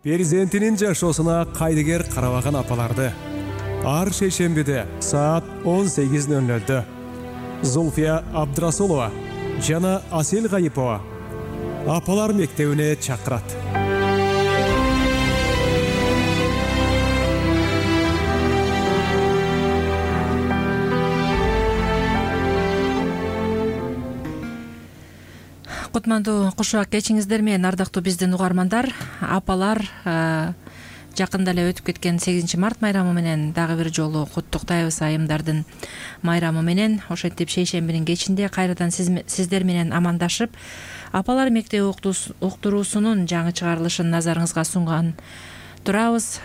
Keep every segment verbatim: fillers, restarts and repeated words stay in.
Перзентинин жашоосуна кайдыгер карабаган апаларды ар шейшембиде саат он сегиз ноль нольдө Зульфия Абдрасулова жана Асел Гайипова апалар мектебине чакырат. Кутмандуу кушак кечиңиздер менен, ардактуу биздин угармандар. Апалар жакында эле өтүп кеткен сегизинчи март майрамы менен дагы бир жолу куттуктайбыз. Айымдардын майрамы менен ошентип шейшембинин кечинде кайрадан сиздер менен амандашып, апалар мектеби уктуруусунун жаңы чыгарылышын назарыңызга сунган турабыз.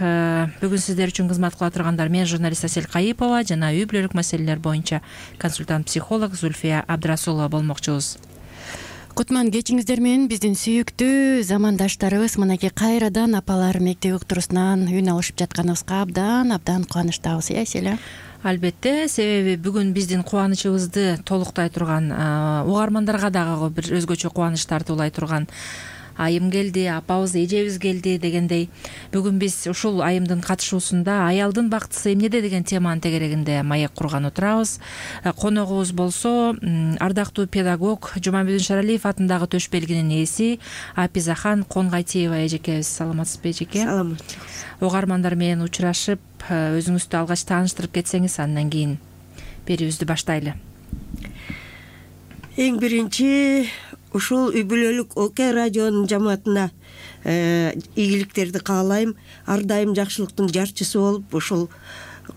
Бүгүн сиздер үчүн кызмат кыла тургандар мен журналист Асел Гайипова жана үй бүлөлүк маселелер боюнча консультант психолог Зульфия Абдрасулова болмокчубуз. Кутман кечиңиздер менен биздин сүйүктүү замандаштарыбыз мынакей кайрадан апалар мектеби уктуруусунан үн алышып жатканыбызга абдан абдан кубанычтабыз, э Аселя? Албетте, себеби бүгүн биздин кубанычыбызды толуктай турган, угармандарга дагы бир өзгөчө кубаныч тартуулай турган айым келди, апабыз, эжебиз келди дегендей. Бүгүн биз ушул айымдын катышуусунда аялдын бактысы эмнеде деген теманын тегерегинде маек курган отурабыз. Коногубуз болсо ардактуу педагог Жумабүдүн Шаралиев атындагы төш белгинин ээси Апизахан Конгайтиева эжекебиз. Саламатсызбы эжеке? Саламатчы. Угармандар менен учурашып, өзүңүздү алгач тааныштырып кетсеңиз, андан кийин берүүбүздү баштайлы. Эң биринчи ушул үй бүлөлүк ОК радионун жамаатына ийгиликтерди каалайм. Ар дайым жакшылыктын жарчысы болуп, ушул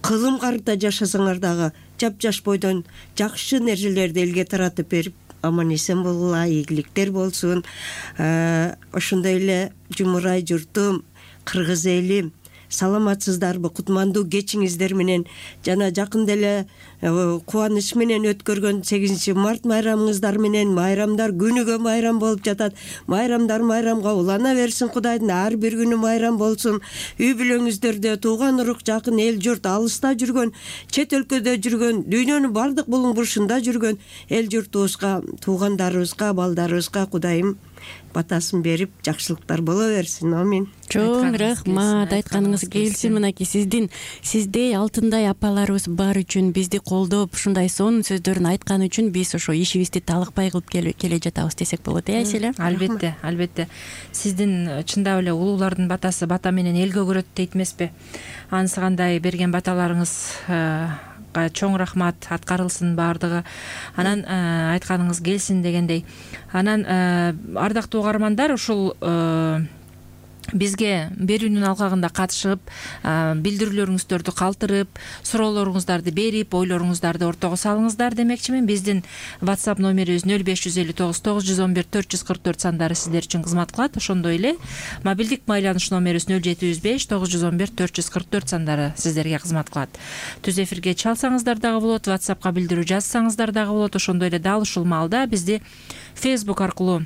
кылым карта жашасаңар дагы жапжаш бойдон жакшы нерселерди элге таратып берип, аман эсен болгула, ийгиликтер болсун. Ошондой эле жумурай журтум, кыргыз элим, саламатсыздарбы? Кутмандуу кечиңиздер менен жана жакында эле кубаныч менен өткөргөн сегизинчи март майрамыңыздар менен, майрамдар күнүгө майрам болуп жатат. Майрамдар майрамга улана берсин, Кудайдын ар бир күнү майрам болсун. Үй бүлөңүздөрдө тууган урук, жакын эл журт, алыста жүргөн, чет өлкөдө жүргөн, дүйнөнүн бардык булуң бурушунда жүргөн эл журтубузга, туугандарыбызга, балдарыбызга Кудайым батасын берип, жакшылыктар боло берсин. Амин. Чоң рахмат, айтканыңыз келсин. Мынакей сиздин сиздей алтындай апаларыбыз бар үчүн, бизди колдоп, ушундай сонун сөздөрүн айткан үчүн биз ошо ишибизди талыкпай кылып келе жатабыз десек болот, э Аселя? Албетте, албетте. Сиздин чындап эле улуулардын батасы бата менен элге көрөт дейт эмеспи? Ансыгандай берген баталарыңыз чоң рахмат, аткарылсын баардыгы. Анан айтканыңыз келсин дегендей. Анан ардактуу угармандар, ушул бизге берүүнүн алкагында катышып, билдирүүлөрүңүздөрдү калтырып, суроолоруңуздарды берип, ойлоруңуздарды ортого салыңыздар демекчимин. Биздин WhatsApp номерибиз нөл беш жүз элүү тогуз тогуз жүз он бир төрт жүз кырк төрт сандары сиздер үчүн кызмат кылат. Ошондой эле мобилдик байланыш номерибиз нөл жети жүз беш тогуз жүз он бир төрт жүз кырк төрт сандары сиздерге кызмат кылат. Түз эфирге чалсаңыздар дагы болот, WhatsAppка билдирүү жазсаңыздар дагы болот. Ошондой эле дал ушул маалда бизди Facebook аркылуу,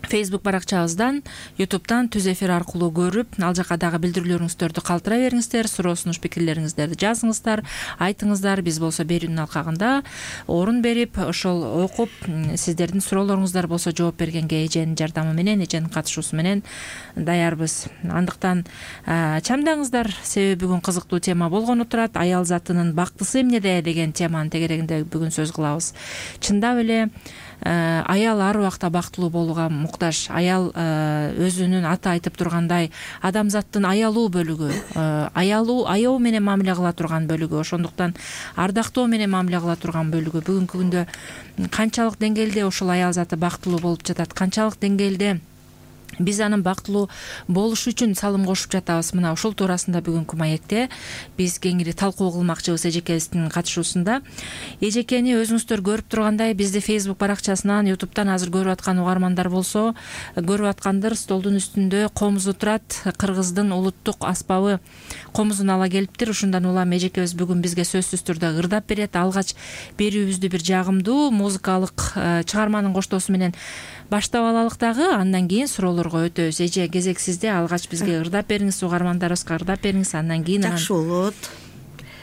Facebook баракчабыздан, YouTube'дан түз эфир аркылуу көрүп, ал жака дагы билдирүүлөрүңүздөрдү калтыра бериңиздер, суроо сунуш пикирлериңиздерди жазыңыздар, айтыңыздар. Биз болсо берүүнүн алкагында орун берип, ошол окуп, сиздердин суроолоруңуздар болсо жооп бергенге эженин жардамы менен, эженин катышуусу менен даярбыз. Андыктан чамдаңыздар, себеби бүгүн кызыктуу тема болгону турат. Аял затынын бактысы эмнеде деген теманын тегерегинде бүгүн сөз кылабыз. Чындап эле аял ар убакта бактылуу болууга муктаж. Аял өзүнүн аты айтып тургандай адамзаттын аялуу бөлүгү, аялуу аяоо менен мамиле кыла турган бөлүгү, ошондуктан ардактоо менен мамиле кыла турган бөлүгү. Бүгүнкү күндө канчалык деңгээлде ушул аял заты бактылуу болуп жатат, канчалык деңгээлде биз анын бактылуу болушу үчүн салым кошуп жатабыз. Мына ушул туурасында бүгүнкү маекте биз кеңири талкуу кылмакчыбыз эжекебиздин катышуусунда. Эжекени өзүңүздөр көрүп тургандай, бизди Facebook баракчасынан, YouTube'дан азыр көрүп аткан угармандар болсо, көрүп аткандыр, столдун үстүндө комузу турат. Кыргыздын улуттук аспабы комузун ала келиптир. Ушундан улам эжекебиз бүгүн бизге сөзсүз түрдө ырдап берет. Алгач берүүбүздү бир жагымдуу музыкалык чыгарманын коштоосу менен баштап алалык дагы, андан кийин суроолорго өтөбүз. Эже, кезек сизде. Алгач бизге ырдап бериңиз, угармандарыбызга ырдап бериңиз, андан кийин жакшы болот.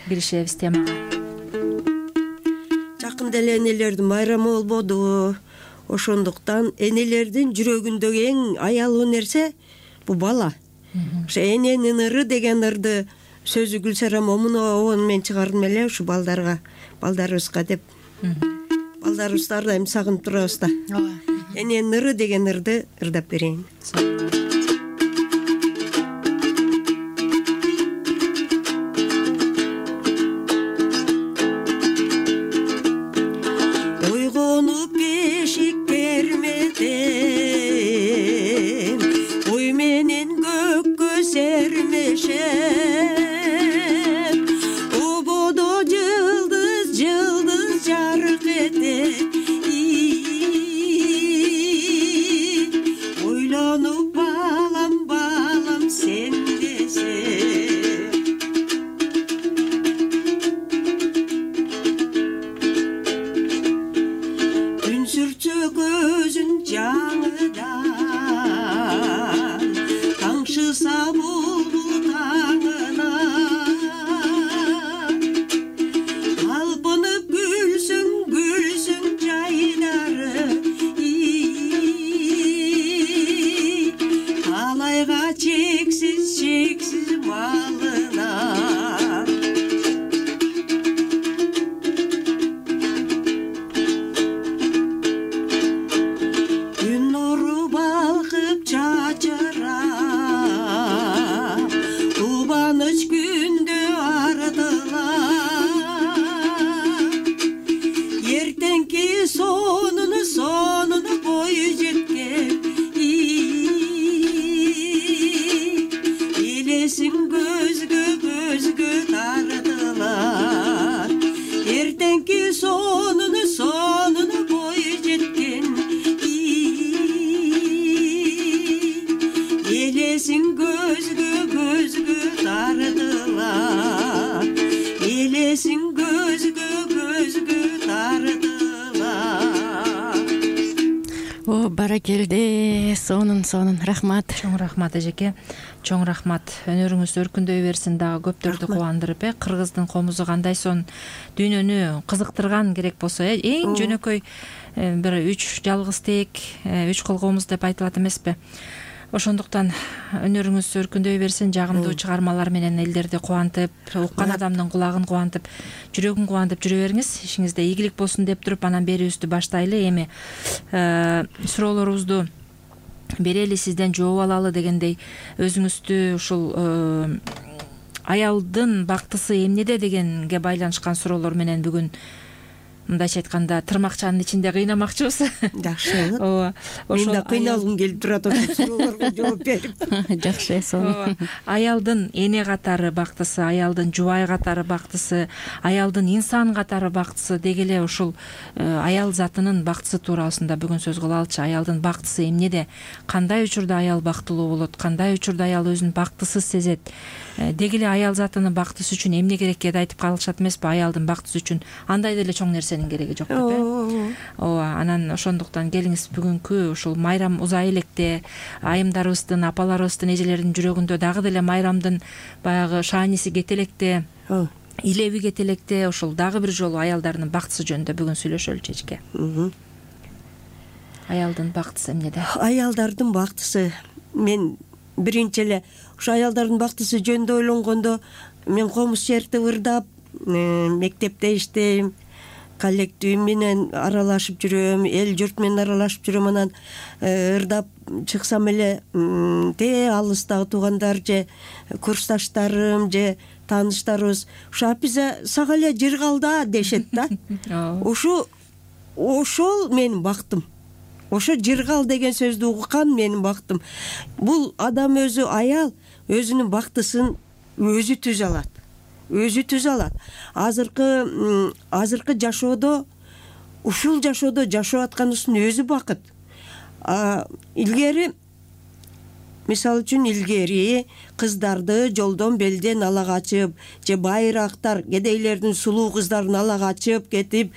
Киришебиз темага. Жакында эле энелердин майрамы болбодубу? Ошондуктан энелердин жүрөгүндөгү эң аялуу нерсе бул бала. ошо эненин ыры деген ырды сөзү Гүлсара Момунова мен чыгардым эле ушу балдарга, балдарыбызга деп. Балдарыбызды ар дайым сагынып турабыз да. Эненин ыры деген ырды ырдап берейин. Ойгонуп бешик бермедим, ой менен көккө сермешем, ободо жылдыз жылдыз жарык этет, ойлонуп балам балам сен десем. Күн сүртсө көзүн жаңыдан, таңшыса булбул таңына, алпынып күлсүң күлсүң жайдары, талайга чексиз чексиз малына. Күн нуру балкып чачырап, тубаныч күндө артылап, эртеңки сонуну сонуну бою жеткен, элесиң көзгө көзгө тартылат, эртеңки сонуну сонуну бою жеткен, элесиң көзгө көзгө тартылат, элесиң көзгө көзгө тартылат. О, баракелде, сонун сонун рахмат. Чоң рахмат эжеке, чоң рахмат. Өнөрүңүз өркүндөй берсин, дагы көптөрдү кубандырып, э кыргыздын комузу кандай сон дүйнөнү кызыктырган керек болсо, э эң жөнөкөй бир үч жалгыз тек, үч кол комуз деп айтылат эмеспи? Ошондуктан өнөрүңүз өркүндөй берсин, жагымдуу чыгармалар менен элдерди кубантып, уккан адамдын кулагын кубантып, жүрөгүн кубантып жүрө бериңиз. Ишиңизде ийгилик болсун деп туруп, анан берүүбүздү баштайлы. Эми суроолорубузду берели, сизден жооп алалы дегендей, өзүңүздү ушул аялдын бактысы эмнеде дегенге байланышкан суроолор менен бүгүн мындайча айтканда тырмакчанын ичинде кыйнамакчыбыз. Жакшы. Ооба. Мен да кыйналгым келип турат ошол суроолорго жооп берип. Жакшы, сонун. Аялдын эне катары бактысы, аялдын жубай катары бактысы, аялдын инсан катары бактысы деги эле ушул аял затынын бактысы туурасында бүгүн сөз кылалычы. Аялдын бактысы эмнеде? Кандай учурда аял бактылуу болот? Кандай учурда аял өзүн бактысыз сезет? Деги эле аял затынын бактысы үчүн эмне керек кеде айтып калышат эмеспи? Аялдын бактысы үчүн андай деле чоң нерсенин кереги жок деп, э? Ооба, анан ошондуктан келиңиз бүгүнкү ушул майрам узай электе айымдарыбыздын, апаларыбыздын, эжелердин жүрөгүндө дагы деле майрамдын баягы шааниси кете электе, илеби кете электе, ушул дагы бир жолу аялдардын бактысы жөнүндө бүгүн сүйлөшөлүчү эжеке. Аялдын бактысы эмнеде? Аялдардын бактысы, мен биринчи эле ушу аялдардын бактысы жөнүндө ойлонгондо, мен комуз шерти ырдап, мектепте иштейм, коллектив менен аралашып жүрөм, эл журт менен аралашып жүрөм, анан ырдап чыксам эле те алыстагы туугандар же курсташтарым же тааныштарыбыз ушу апиза сага эле жыргалда дешет да. Ушу ошол менин бактым. Ошо жыргал деген сөздү уккан менин бактым. Бул адам өзү, аял өзүнүн бактысын өзү түзө алат. Өзү түзө алат. Азыркы азыркы жашоодо, ушул жашоодо жашап атканыбыздын өзү бакыт. Илгери, мисалы үчүн илгери кыздарды жолдон белден ала качып, же байрактар, кедейлердин сулуу кыздарын ала качып кетип,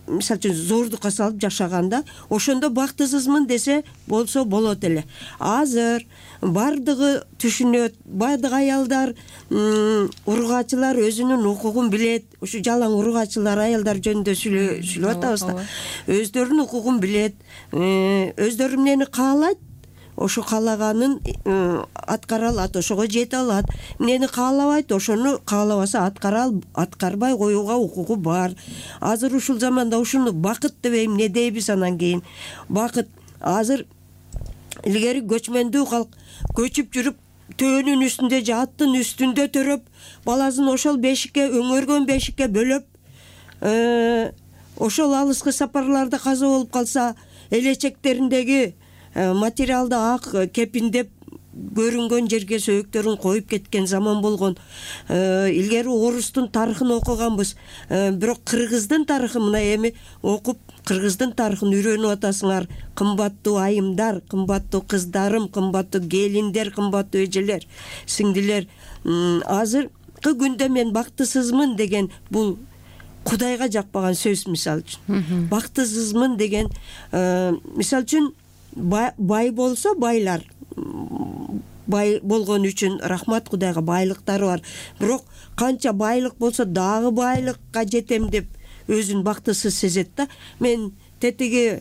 мисалы үчүн зордукка салып жашаганда, ошондо бактысызмын десе болсо болот эле. Азыр бардыгы түшүнөт, бардык аялдар, ургачылар өзүнүн укугун билет. Ушу жалаң ургачылар аялдар жөнүндө сүйлөп атабыз да. Өздөрүнүн укугун билет, өздөрү эмнени каалайт, ошо каалаганын аткара алат, ошого жете алат. Эмнени каалабайт, ошону каалабаса аткара аткарбай коюуга укугу бар. Азыр ушул заманда ушуну бакыт дебейм, эмне дейбиз анан кийин? Бакыт. Азыр илгери көчмөндүү калк көчүп жүрүп төөнүн үстүндө же аттын үстүндө төрөп, баласын ошол бешикке, өңөргөн бешикке бөлөп, ошол алыскы сапарларда каза болуп калса, элечектериндеги материалды ак кепиндеп көрүнгөн жерге сөөктөрүн коюп кеткен заман болгон. Илгери орустун тарыхын окуганбыз, бирок кыргыздын тарыхын мына эми окуп, кыргыздын тарыхын үйрөнүп атасыңар. Кымбаттуу айымдар, кымбаттуу кыздарым, кымбаттуу келиндер, кымбаттуу эжелер, сиңдилер, азыркы күндө мен бактысызмын деген бул Кудайга жакпаган сөз. Мисалы үчүн бактысызмын деген, мисалы үчүн бай болсо, байлар бай болгон үчүн рахмат, Кудайга байлыктары бар. Бирок канча байлык болсо дагы байлыкка жетем деп өзүн бактысыз сезет да. Мен тетиги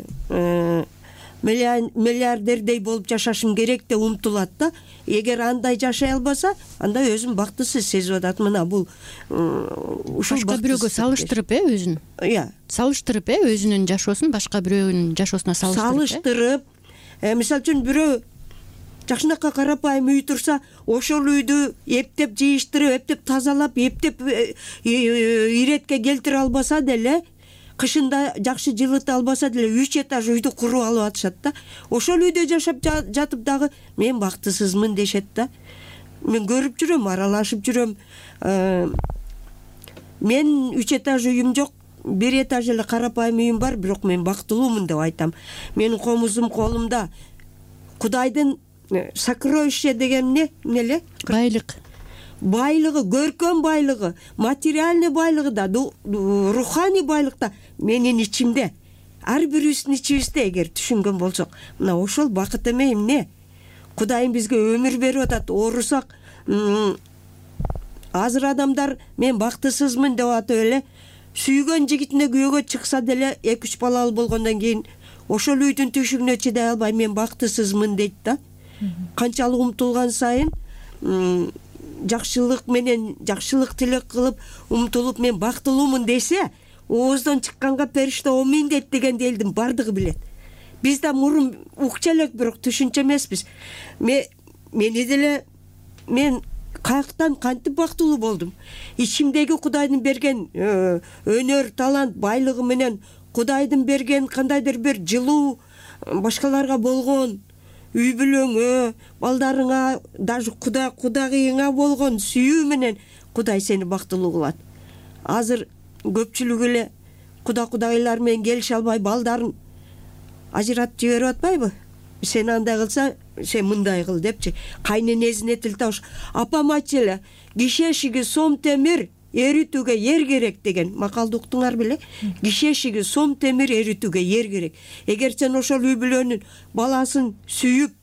миллиардердей болуп жашашым керек деп умтулат да. Эгер андай жашай албаса, анда өзүн бактысыз сезип атат. Мына бул ушул башка бирөөгө салыштырып, э, өзүн. Иә. Салыштырып, э, өзүнүн жашоосун башка бирөөнүн жашоосуна салыштырып. Салыштырып, мисалы үчүн бирөө жакшынакай карапайым үй турса, ошол үйдү эптеп жыйыштырып, эптеп тазалап, эптеп иретке келтире албаса деле, кышында жакшы жылыта албаса деле үч этаж үйдү куруп алып атышат да. Ошол үйдө жашап жатып дагы мен бактысызмын дешет да. Мен көрүп жүрөм, аралашып жүрөм. Мен үч этаж үйүм жок, бир этаж эле карапайым үйүм бар, бирок мен бактылуумун деп айтам. Менин комузум колумда. Кудайдын сокровище деген эмне? Эмнеле? Байлык. Байлыгы, көркөм байлыгы, материальный байлыгы да, руханий байлык да менин ичимде. Ар бирибиздин ичибизде, эгер түшүнгөн болсок. Мына ошол бакыт эме эмне? Кудайым бизге өмүр берип атат. Оорусак, азыр адамдар мен бактысызмын деп атып эле, сүйгөн жигитине күйөөгө чыкса деле эки үч балалы болгондон кийин ошол үйдүн түшүгүнө чыдай албай мен бактысызмын дейт да. Канчалык умтулган сайын жакшылык менен жакшылык тилек кылып умтулуп мен бактылуумун десе, ооздон чыкканга периште омин дейт дегенди элдин бардыгы билет. Биз да мурун укчу элек, бирок түшүнчө эмеспиз. Мени деле мен каяктан кантип бактылуу болдум? Ичимдеги Кудайдын берген өнөр, талант, байлыгы менен Кудайдын берген кандайдыр бир жылуу, башкаларга болгон үй бүлөңө, балдарыңа, даже Кудай кудагыйыңа болгон сүйүү менен Кудай сени бактылуу кылат. Азыр көпчүлүк эле куда кудагыйлар менен келише албай балдарын ажыратып жиберип атпайбы? Сен андай кылса, сен мындай кыл депчи. Кайненесине тил табыш. Апам айтчу эле, киши эшиги сом темир эритүүгө ер керек деген макалды уктуңар беле? Киши эшиги сом темир эритүүгө ер керек. Эгер сен ошол үй бүлөнүн баласын сүйүп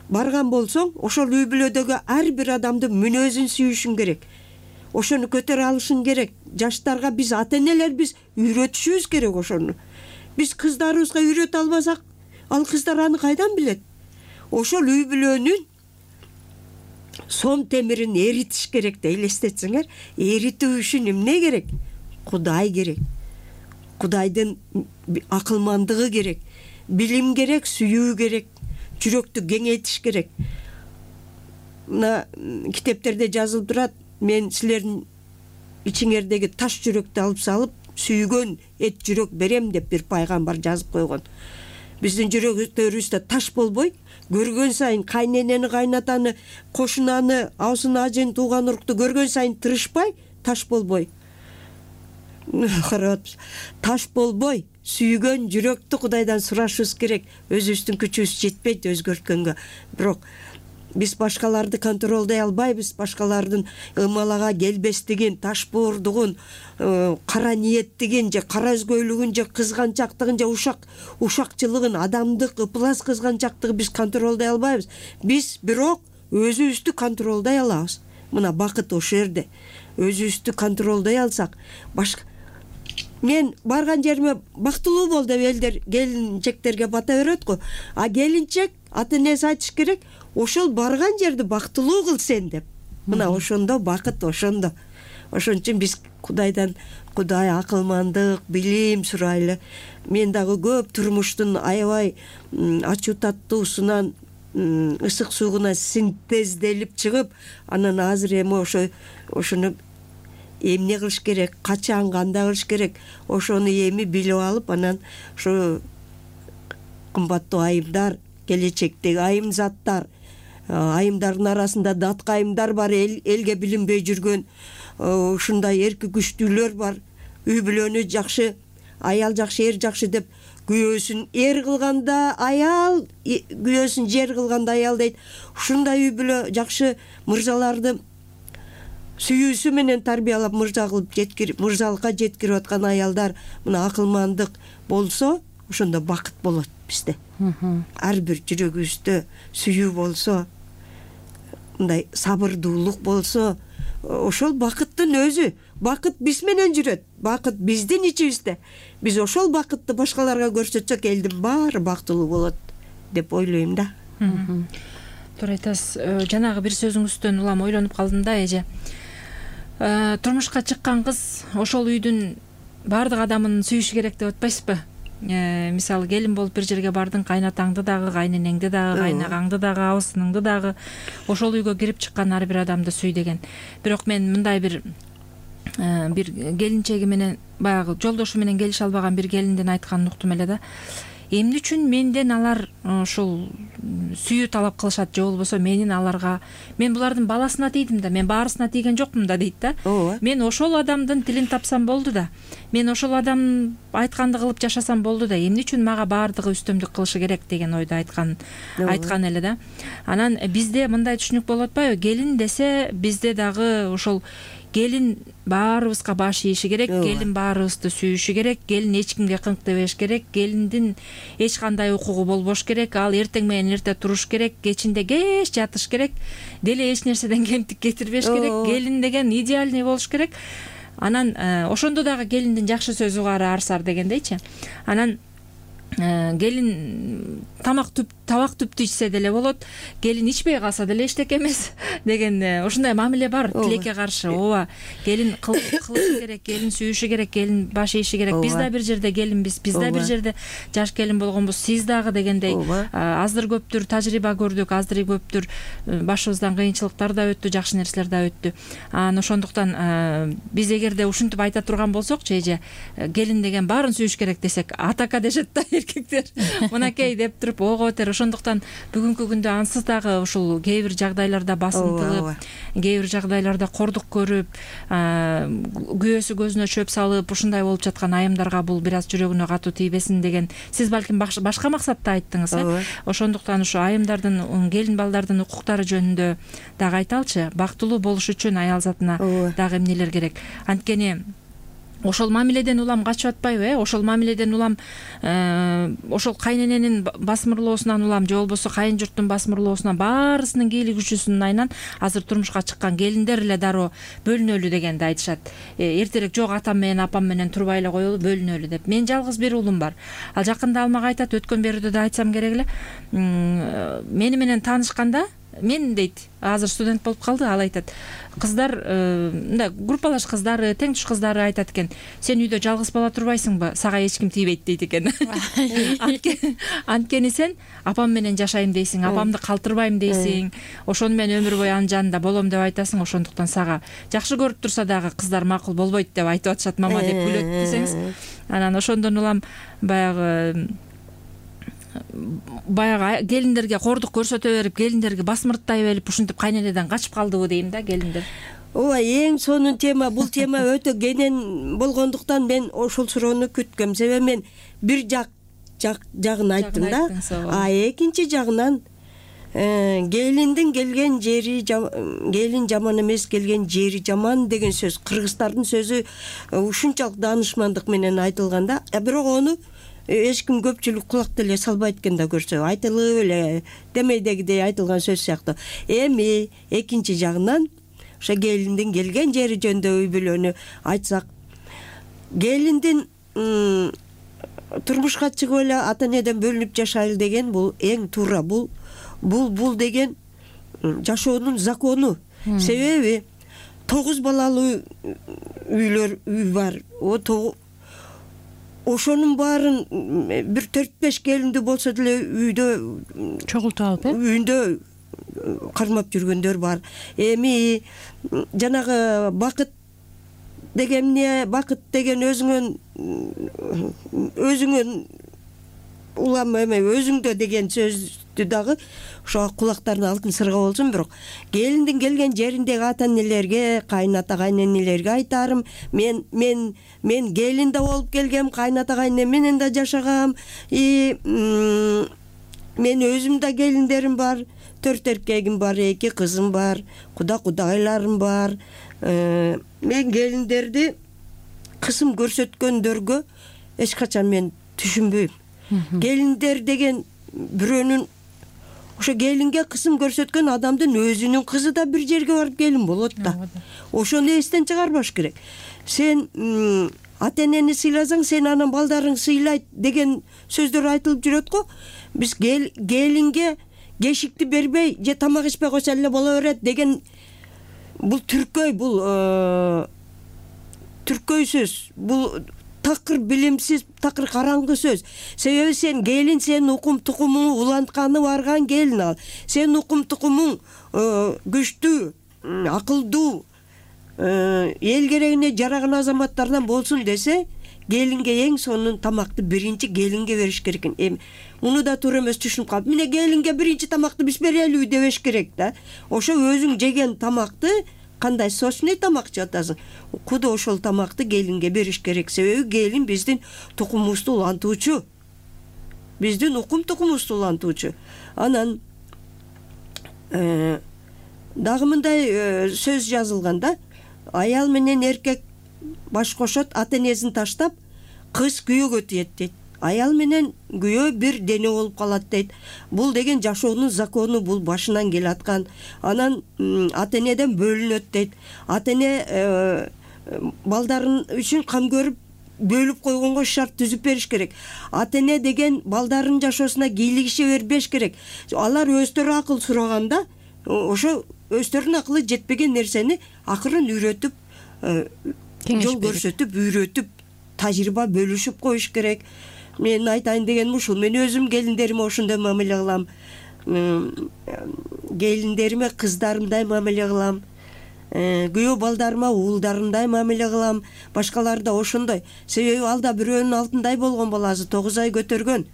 барган болсоң, ошол үй бүлөдөгү ар бир адамдын мүнөзүн сүйүшүң керек. Ошону көтөрө алышың керек. Жаштарга биз ата-энелер биз үйрөтүшүбүз керек ошону. Биз кыздарыбызга үйрөтө албасак, ал кыздар аны кайдан билет? Ошол үй бүлөнүн сом темирин эритиш керек да, элестетсеңер. Эритүү үчүн эмне керек? Кудай керек. Кудайдын акылмандыгы керек. Билим керек, сүйүү керек. Жүрөктү кеңейтиш керек. Мына китептерде жазылып турат, мен силердин ичиңердеги таш жүрөктү алып салып, сүйгөн эт жүрөк берем деп бир пайгамбар жазып койгон. Биздин жүрөктөрүбүздө таш болбой, көргөн сайын кайненени, кайнатаны, кошунаны, абысын, ажын, тууган урукту көргөн сайын тырышпай, таш болбой. Карап, таш болбой, сүйгөн жүрөктү Кудайдан сурашыбыз керек. Өзүбүздүн күчүбүз жетпейт өзгөрткөнгө. Бирок биз башкаларды контролдой албайбыз, башкалардын ымалага келбестигин, таш боордугун, кара ниеттигин же кара өзгөйлүгүн же кызганчактыгын же ушак ушакчылыгын, адамдык ыплас кызганчактыгы биз контролдой албайбыз. Биз бирок өзүбүздү контролдой алабыз. Мына бакыт ошол жерде. Өзүбүздү контролдой алсак, башка мен барган жериме бактылуу бол деп элдер келинчектерге бата берет го. А келинчек ата энеси айтыш керек, ошол барган жерди бактылуу кыл сен деп. Мына ошондо бакыт, ошондо. Ошон үчүн биз Кудайдан Кудай акылмандык, билим сурайлы. Мен дагы көп турмуштун аябай ачуу таттуусунан, ысык суугуна синтезделип чыгып, анан азыр эми ошо ошону эмне кылыш керек, качан, кандай кылыш керек, ошону эми билип алып, анан ошо кымбаттуу айымдар, келечектеги айым заттар, айымдардын арасында датка айымдар бар, эл, элге билинбей жүргөн ушундай эрки күчтүүлөр бар. Үй бүлөнү жакшы, аял жакшы, эр жакшы деп күйөөсүн эр кылганда аял, күйөөсүн жер кылганда аял дейт. Ушундай үй бүлө жакшы мырзаларды сүйүүсү менен тарбиялап мырза кылып жеткирип, мырзалыкка жеткирип аткан аялдар мына акылмандык болсо, ошондо бакыт болот бизде. Ар бир жүрөгүбүздө сүйүү болсо, мындай сабырдуулук болсо, ошол бакыттын өзү. Бакыт биз менен жүрөт. Бакыт биздин ичибизде. Биз ошол бакытты башкаларга көрсөтсөк, элдин баары бактылуу болот деп ойлойм да. Туура айтасыз. Жанагы бир сөзүңүздөн улам ойлонуп калдым да, эже. Турмушка чыккан кыз ошол үйдүн баардык адамын сүйүшү керек деп атпайсызбы? Мисалы, келин болуп бир жерге бардың, кайнатаңды дагы, кайненеңди дагы, кайнагаңды дагы, абысыныңды дагы, ошол үйгө кирип чыккан ар бир адамды сүй деген. Бирок мен мындай бир бир келинчеги менен, баягы жолдошу менен келише албаган бир келиндин айтканын уктум эле да. Эмне үчүн менден алар ушул сүйүү талап кылышат, же болбосо менин аларга, мен булардын баласына тийдим да, мен баарысына тийген жокмун да дейт да. Мен ошол адамдын тилин тапсам болду да. Мен ошол адам айтканды кылып жашасам болду да. Эмне үчүн мага баардыгы үстөмдүк кылышы керек деген ойду айткан айткан эле да. Анан бизде мындай түшүнүк болуп атпайбы? Келин десе бизде дагы ошол келин баарыбызга баш ийиши керек, келин баарыбызды сүйүшү керек, келин эч кимге кыңк дебеш керек, келиндин эч кандай укугу болбош керек, ал эртең менен эрте туруш керек, кечинде кеч жатыш керек, деле эч нерседен кемтик кетирбеш керек, келин деген идеальный болуш керек. Анан ошондо дагы келиндин жакшы сөзү кары арсар дегендейчи. Анан келин тамак түп табак түптү ичсе деле болот, келин ичпей калса деле эчтеке эмес деген ушундай мамиле бар тилекке каршы. Ооба, келин кылышы керек, келин сүйүшү керек, келин баш ийиши керек. Биз да бир жерде келинбиз, биз да бир жерде жаш келин болгонбуз, сиз дагы дегендей аздыр көптүр тажрыйба көрдүк, аздыр көптүр башыбыздан кыйынчылыктар да өттү, жакшы нерселер да өттү. Анан ошондуктан биз эгерде ушинтип айта турган болсокчу, эже, келин деген баарын сүйүш керек десек, атака дешет да эркектер. Мынакей деп туруп ого бетер. Ошондуктан бүгүнкү күндө ансыз дагы ушул кээ бир жагдайларда басынтылып, кээ бир жагдайларда кордук көрүп, күйөөсү көзүнө чөп салып, ушундай болуп жаткан айымдарга бул бир аз жүрөгүнө катуу тийбесин деген сиз балким башка максатта айттыңыз, э? Ошондуктан ушу айымдардын, келин балдардын укуктары жөнүндө дагы айталчы. Бактылуу болуш үчүн аял затына дагы эмнелер керек? Анткени ошол мамиледен улам качып атпайбы, э? Ошол мамиледен улам ошол кайнененин басмырлоосунан улам, же болбосо кайын журттун басмырлоосунан, баарысынын кийлик күчүсүнүн айынан азыр турмушка чыккан келиндер эле дароо бөлүнөлү дегенди айтышат. Эртерээк жок, атам менен апам менен турбай эле коелу, бөлүнөлү деп. Мен жалгыз бир уулум бар. Ал жакында ал мага айтат, өткөн берүүдө да айтсам керек эле. Мени менен таанышканда, мен дейт, азыр студент болуп калды, ал айтат, кыздар, мындай группалаш кыздары, тең туш кыздары айтат экен, сен үйдө жалгыз бала турбайсыңбы, сага эч ким тийбейт дейт экен. Анткени сен апам менен жашайм дейсиң, апамды калтырбайм дейсиң, ошону мен өмүр бою анын жанында болом деп айтасың, ошондуктан сага жакшы көрүп турса дагы кыздар макул болбойт деп айтып атышат мама деп күлөт десеңиз. Анан ошондон улам баягы баягы келиндерге кордук көрсөтө берип, келиндерге басмырттай берип, ушинтип кайненеден качып калдыбы дейм да келиндер. Ооба, эң сонун тема. Бул тема өтө кенен болгондуктан мен ошол суроону күткөм. Себеби мен бир жак жагын айттым да. А экинчи жагынан келиндин келген жери, келин жаман эмес, келген жери жаман деген сөз кыргыздардын сөзү ушунчалык даанышмандык менен айтылган да. Бирок ону эч ким көпчүлүк кулак деле салбайт экен да, көрсө айтылып эле демейдегидей айтылган сөз сыяктуу. Эми экинчи жагынан ошо келиндин келген жери жөнүндө үй бүлөнү айтсак, келиндин турмушка чыгып эле ата энеден бөлүнүп жашайлы деген бул эң туура. Бул бул бул деген жашоонун закону. Себеби тогуз балалуу үйлөр үй бар. Ошонун баарын бир төрт беш келиндүү болсо деле үйдө чогултуп алып, э? Үйүндө кармап жүргөндөр бар. Эми жанагы бакыт деген эмне? Бакыт деген өзүңөн өзүңөн улам эме өзүңдө деген сөздү дагы ошо кулактарына алтын сырга болсун. Бирок келиндин келген жериндеги ата энелерге, кайната кайненелерге айтарым, мен мен мен келин да болуп келгем, кайната кайнем менен да жашагам. И мен өзүм да келиндерим бар, төрт эркегим бар, эки кызым бар, куда кудайларым бар. Мен келиндерди кысым көрсөткөндөргө эч качан мен түшүнбөйм. Келиндер деген бирөөнүн ошо келинге кысым көрсөткөн адамдын өзүнүн кызы да бир жерге барып келин болот да. Ошону эстен чыгарбаш керек. Сен ата энени сыйласаң, сен анан балдарың сыйлайт деген сөздөр айтылып жүрөт го. Биз келинге кешикти бербей же тамак ичпей койсо эле боло берет деген бул түркөй, бул түркөй сөз. Бул такыр билимсиз, такыр караңгы сөз. Себеби сен келин, сен укум тукумуң улантканы барган келин ал. Сен укум тукумуң күчтүү, акылдуу, эл керегине жараган азаматтардан болсун десе, келинге эң сонун тамакты биринчи келинге бериш керек экен. Эми муну да туура эмес түшүнүп калып, мына келинге биринчи тамакты биз берелиби дебеш керек да. Ошо өзүң жеген тамакты, кандай сочный тамак жеп атасың, куда ошол тамакты келинге бериш керек. Себеби келин биздин тукумубузду улантуучу. Биздин укум тукумубузду улантуучу. Анан дагы мындай сөз жазылган да. Аял менен эркек баш кошот, ата энесин таштап, кыз күйөөгө тиет дейт. Аял менен күйөө бир дене болуп калат дейт. Бул деген жашоонун закону, бул башынан келаткан. Анан ата энеден бөлүнөт дейт. Ата эне балдарын үчүн кам көрүп бөлүп койгонго шарт түзүп бериш керек. Ата эне деген балдарын жашоосуна кийлигише бербеш керек. Алар өздөрү акыл сураганда, ошо өздөрүнүн акылы жетпеген нерсени акырын үйрөтүп, жол көрсөтүп, үйрөтүп, тажрыйба бөлүшүп коюш керек. Мен айтайын дегеним ушул. Мен өзүм келиндериме ошондой мамиле кылам. Келиндериме кыздарымдай мамиле кылам. Күйөө балдарыма уулдарымдай мамиле кылам. Башкалар да ошондой. Себеби ал да бирөөнүн алтындай болгон баласы, тогуз ай көтөргөн.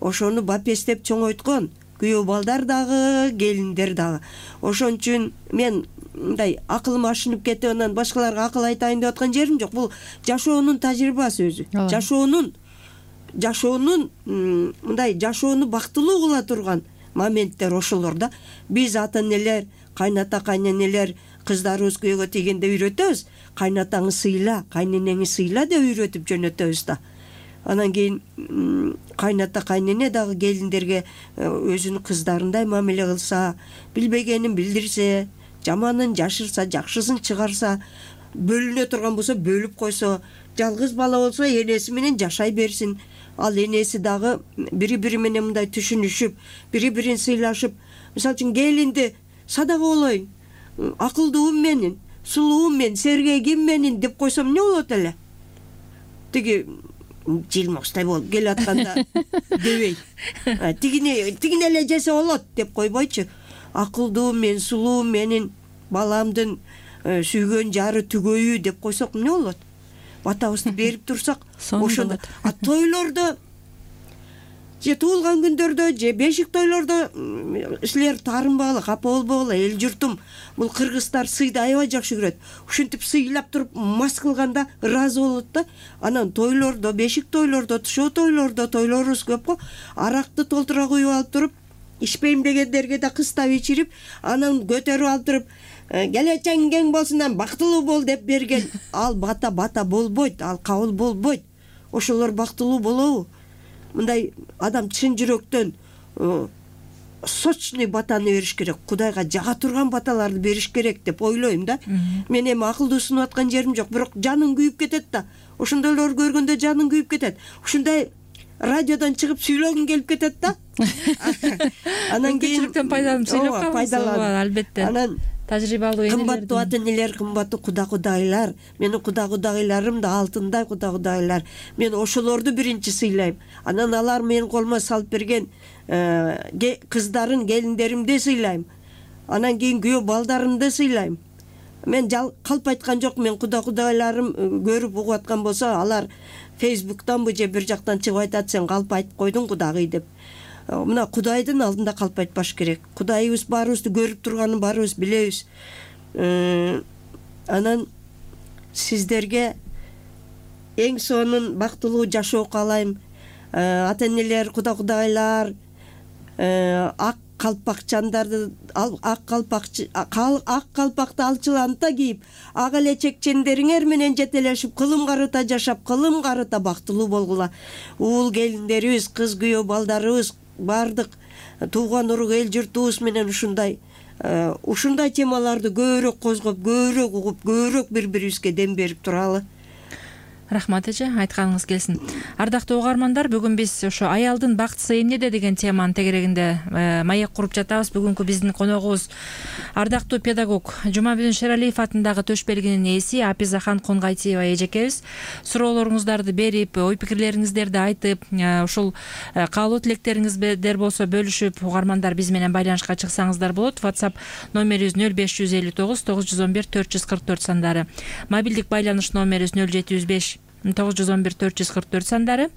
Ошону бапестеп чоңойткон. Күйөө балдар дагы, келиндер дагы. Ошон үчүн мен мындай акылым ашынып кетип, анан башкаларга акыл айтайын деп аткан жерим жок. Бул жашоонун тажрыйбасы өзү. Жашоонун жашоонун мындай жашоону бактылуу кыла турган моменттер ошолор да. Биз ата энелер, кайната кайненелер кыздарыбыз күйөөгө тийгенде үйрөтөбүз. Кайнатаңы сыйла, кайненеңи сыйла деп үйрөтүп жөнөтөбүз да. Анан кийин кайната кайнене дагы келиндерге өзүнүн кыздарындай мамиле кылса, билбегенин билдирсе, жаманын жашырса, жакшысын чыгарса, бөлүнө турган болсо бөлүп койсо, жалгыз бала болсо энеси менен жашай берсин. Ал энеси дагы бири-бири менен мындай түшүнүшүп, бири-бирин сыйлашып, мисалы үчүн келинди садага болоюн, акылдуум менин, сулуум мен, сергегим менин деп койсом эмне болот эле? Тиги жылмокстой болуп келатканда дебей. Тигине тигине эле жесе болот деп койбойчу. Акылдуум мен, сулуум менин, баламдын сүйгөн жары түгөйү деп койсок эмне болот? Батабызды берип турсак, ошондо. А тойлордо, же туулган күндөрдө, же бешик тойлордо силер таарынбагыла, капа болбогула, эл журтум, бул кыргыздар сыйды аябай жакшы көрөт. Ушинтип сыйлап туруп мас кылганда ыраазы болот да. Анан тойлордо, бешик тойлордо, тушоо тойлордо, тойлорубуз көп го. Аракты толтура куюп алып туруп, ичпейм дегендерге да кыстап ичирип, анан көтөрүп алып туруп, келечегиң кең болсун, бактылуу бол деп берген. Ал бата бата болбойт, ал кабыл болбойт. Ошолор бактылуу болобу? Мындай адам чын жүрөктөн сочный батаны бериш керек, Кудайга жага турган баталарды бериш керек деп ойлойм да. Мен эми акылдуу сунуп аткан жерим жок, бирок жаның күйүп кетет да. Ошондойлорду көргөндө жаның күйүп кетет. Ушундай радиодон чыгып сүйлөгүң келип кетет да. Анан кийин мүмкүнчүлүктөн пайдаланып сүйлөп калыңыз. Албетте. Анан тажрыйбалуу энелердин. Кымбаттуу ата-энелер, кымбаттуу куда-кудайлар, менин куда-кудайларым да алтындай куда-кудайлар. Мен ошолорду биринчи сыйлайм. Анан алар менин колума салып берген кыздарын, келиндеримди сыйлайм. Анан кийин күйөө балдарымды сыйлайм. Мен калп айткан жок, мен куда-кудайларым көрүп угуп аткан болсо, алар Фейсбуктанбы же бир жактан чыгып айтат, сен калп айтып койдуң Кудагый деп. Мына Кудайдын алдында калп айтпаш керек. Кудайыбыз баарыбызды көрүп турганын баарыбыз билебиз. Анан сиздерге эң сонун бактылуу жашоо каалайм. Ата-энелер, куда-кудайлар, ак калпакчандарды, ак калпакчы, ак калпакты алчыланта кийип, ак эле чекчендериңер менен жетелешип, кылым карыта жашап, кылым карыта бактылуу болгула. Уул келиндерибиз, кыз күйөө балдарыбыз, бардык тууган урук эл журтубуз менен ушундай ушундай темаларды көбүрөөк козгоп, көбүрөөк угуп, көбүрөөк бири-бирибизге дем берип туралы. Рахмат эже, айтканыңыз келсин. Ардактуу угармандар, бүгүн биз ошо аялдын бактысы эмнеде деген теманын тегерегинде маек куруп жатабыз. Бүгүнкү биздин коногубуз ардактуу педагог Жумабүдүн Шералиев атындагы төш белгинин ээси Апизахан Конгайтиева эжекебиз. Суроолоруңуздарды берип, ой пикирлериңиздерди айтып, ушул каалоо тилектериңиздер болсо бөлүшүп, угармандар биз менен байланышка чыксаңыздар болот. WhatsApp номерибиз нөл беш жүз элүү тогуз тогуз жүз он бир төрт жүз кырк төрт сандары. Мобилдик байланыш номерибиз нөл жети жүз беш тогуз жүз он бир төрт жүз кырк төрт сандары.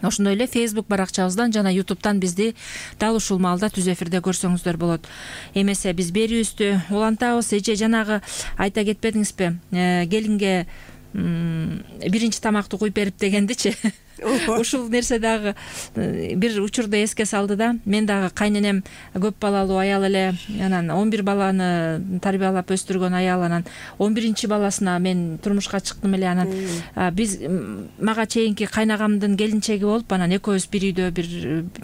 Ошондой эле Facebook баракчабыздан жана YouTube'дан бизди дал ушул маалда түз эфирде көрсөңүздөр болот. Эмесе биз берүүбүздү улантабыз. Эже жанагы айта кетпедиңизби? Келинге биринчи тамакты куюп берип дегендичи. Ушул нерсе дагы бир учурда эске салды да. Мен дагы кайненем көп балалуу аял эле, анан он бир баланы тарбиялап өстүргөн аял, анан он биринчи баласына мен турмушка чыктым эле. Анан биз мага чейинки кайнагамдын келинчеги болуп, анан экөөбүз бир үйдө бир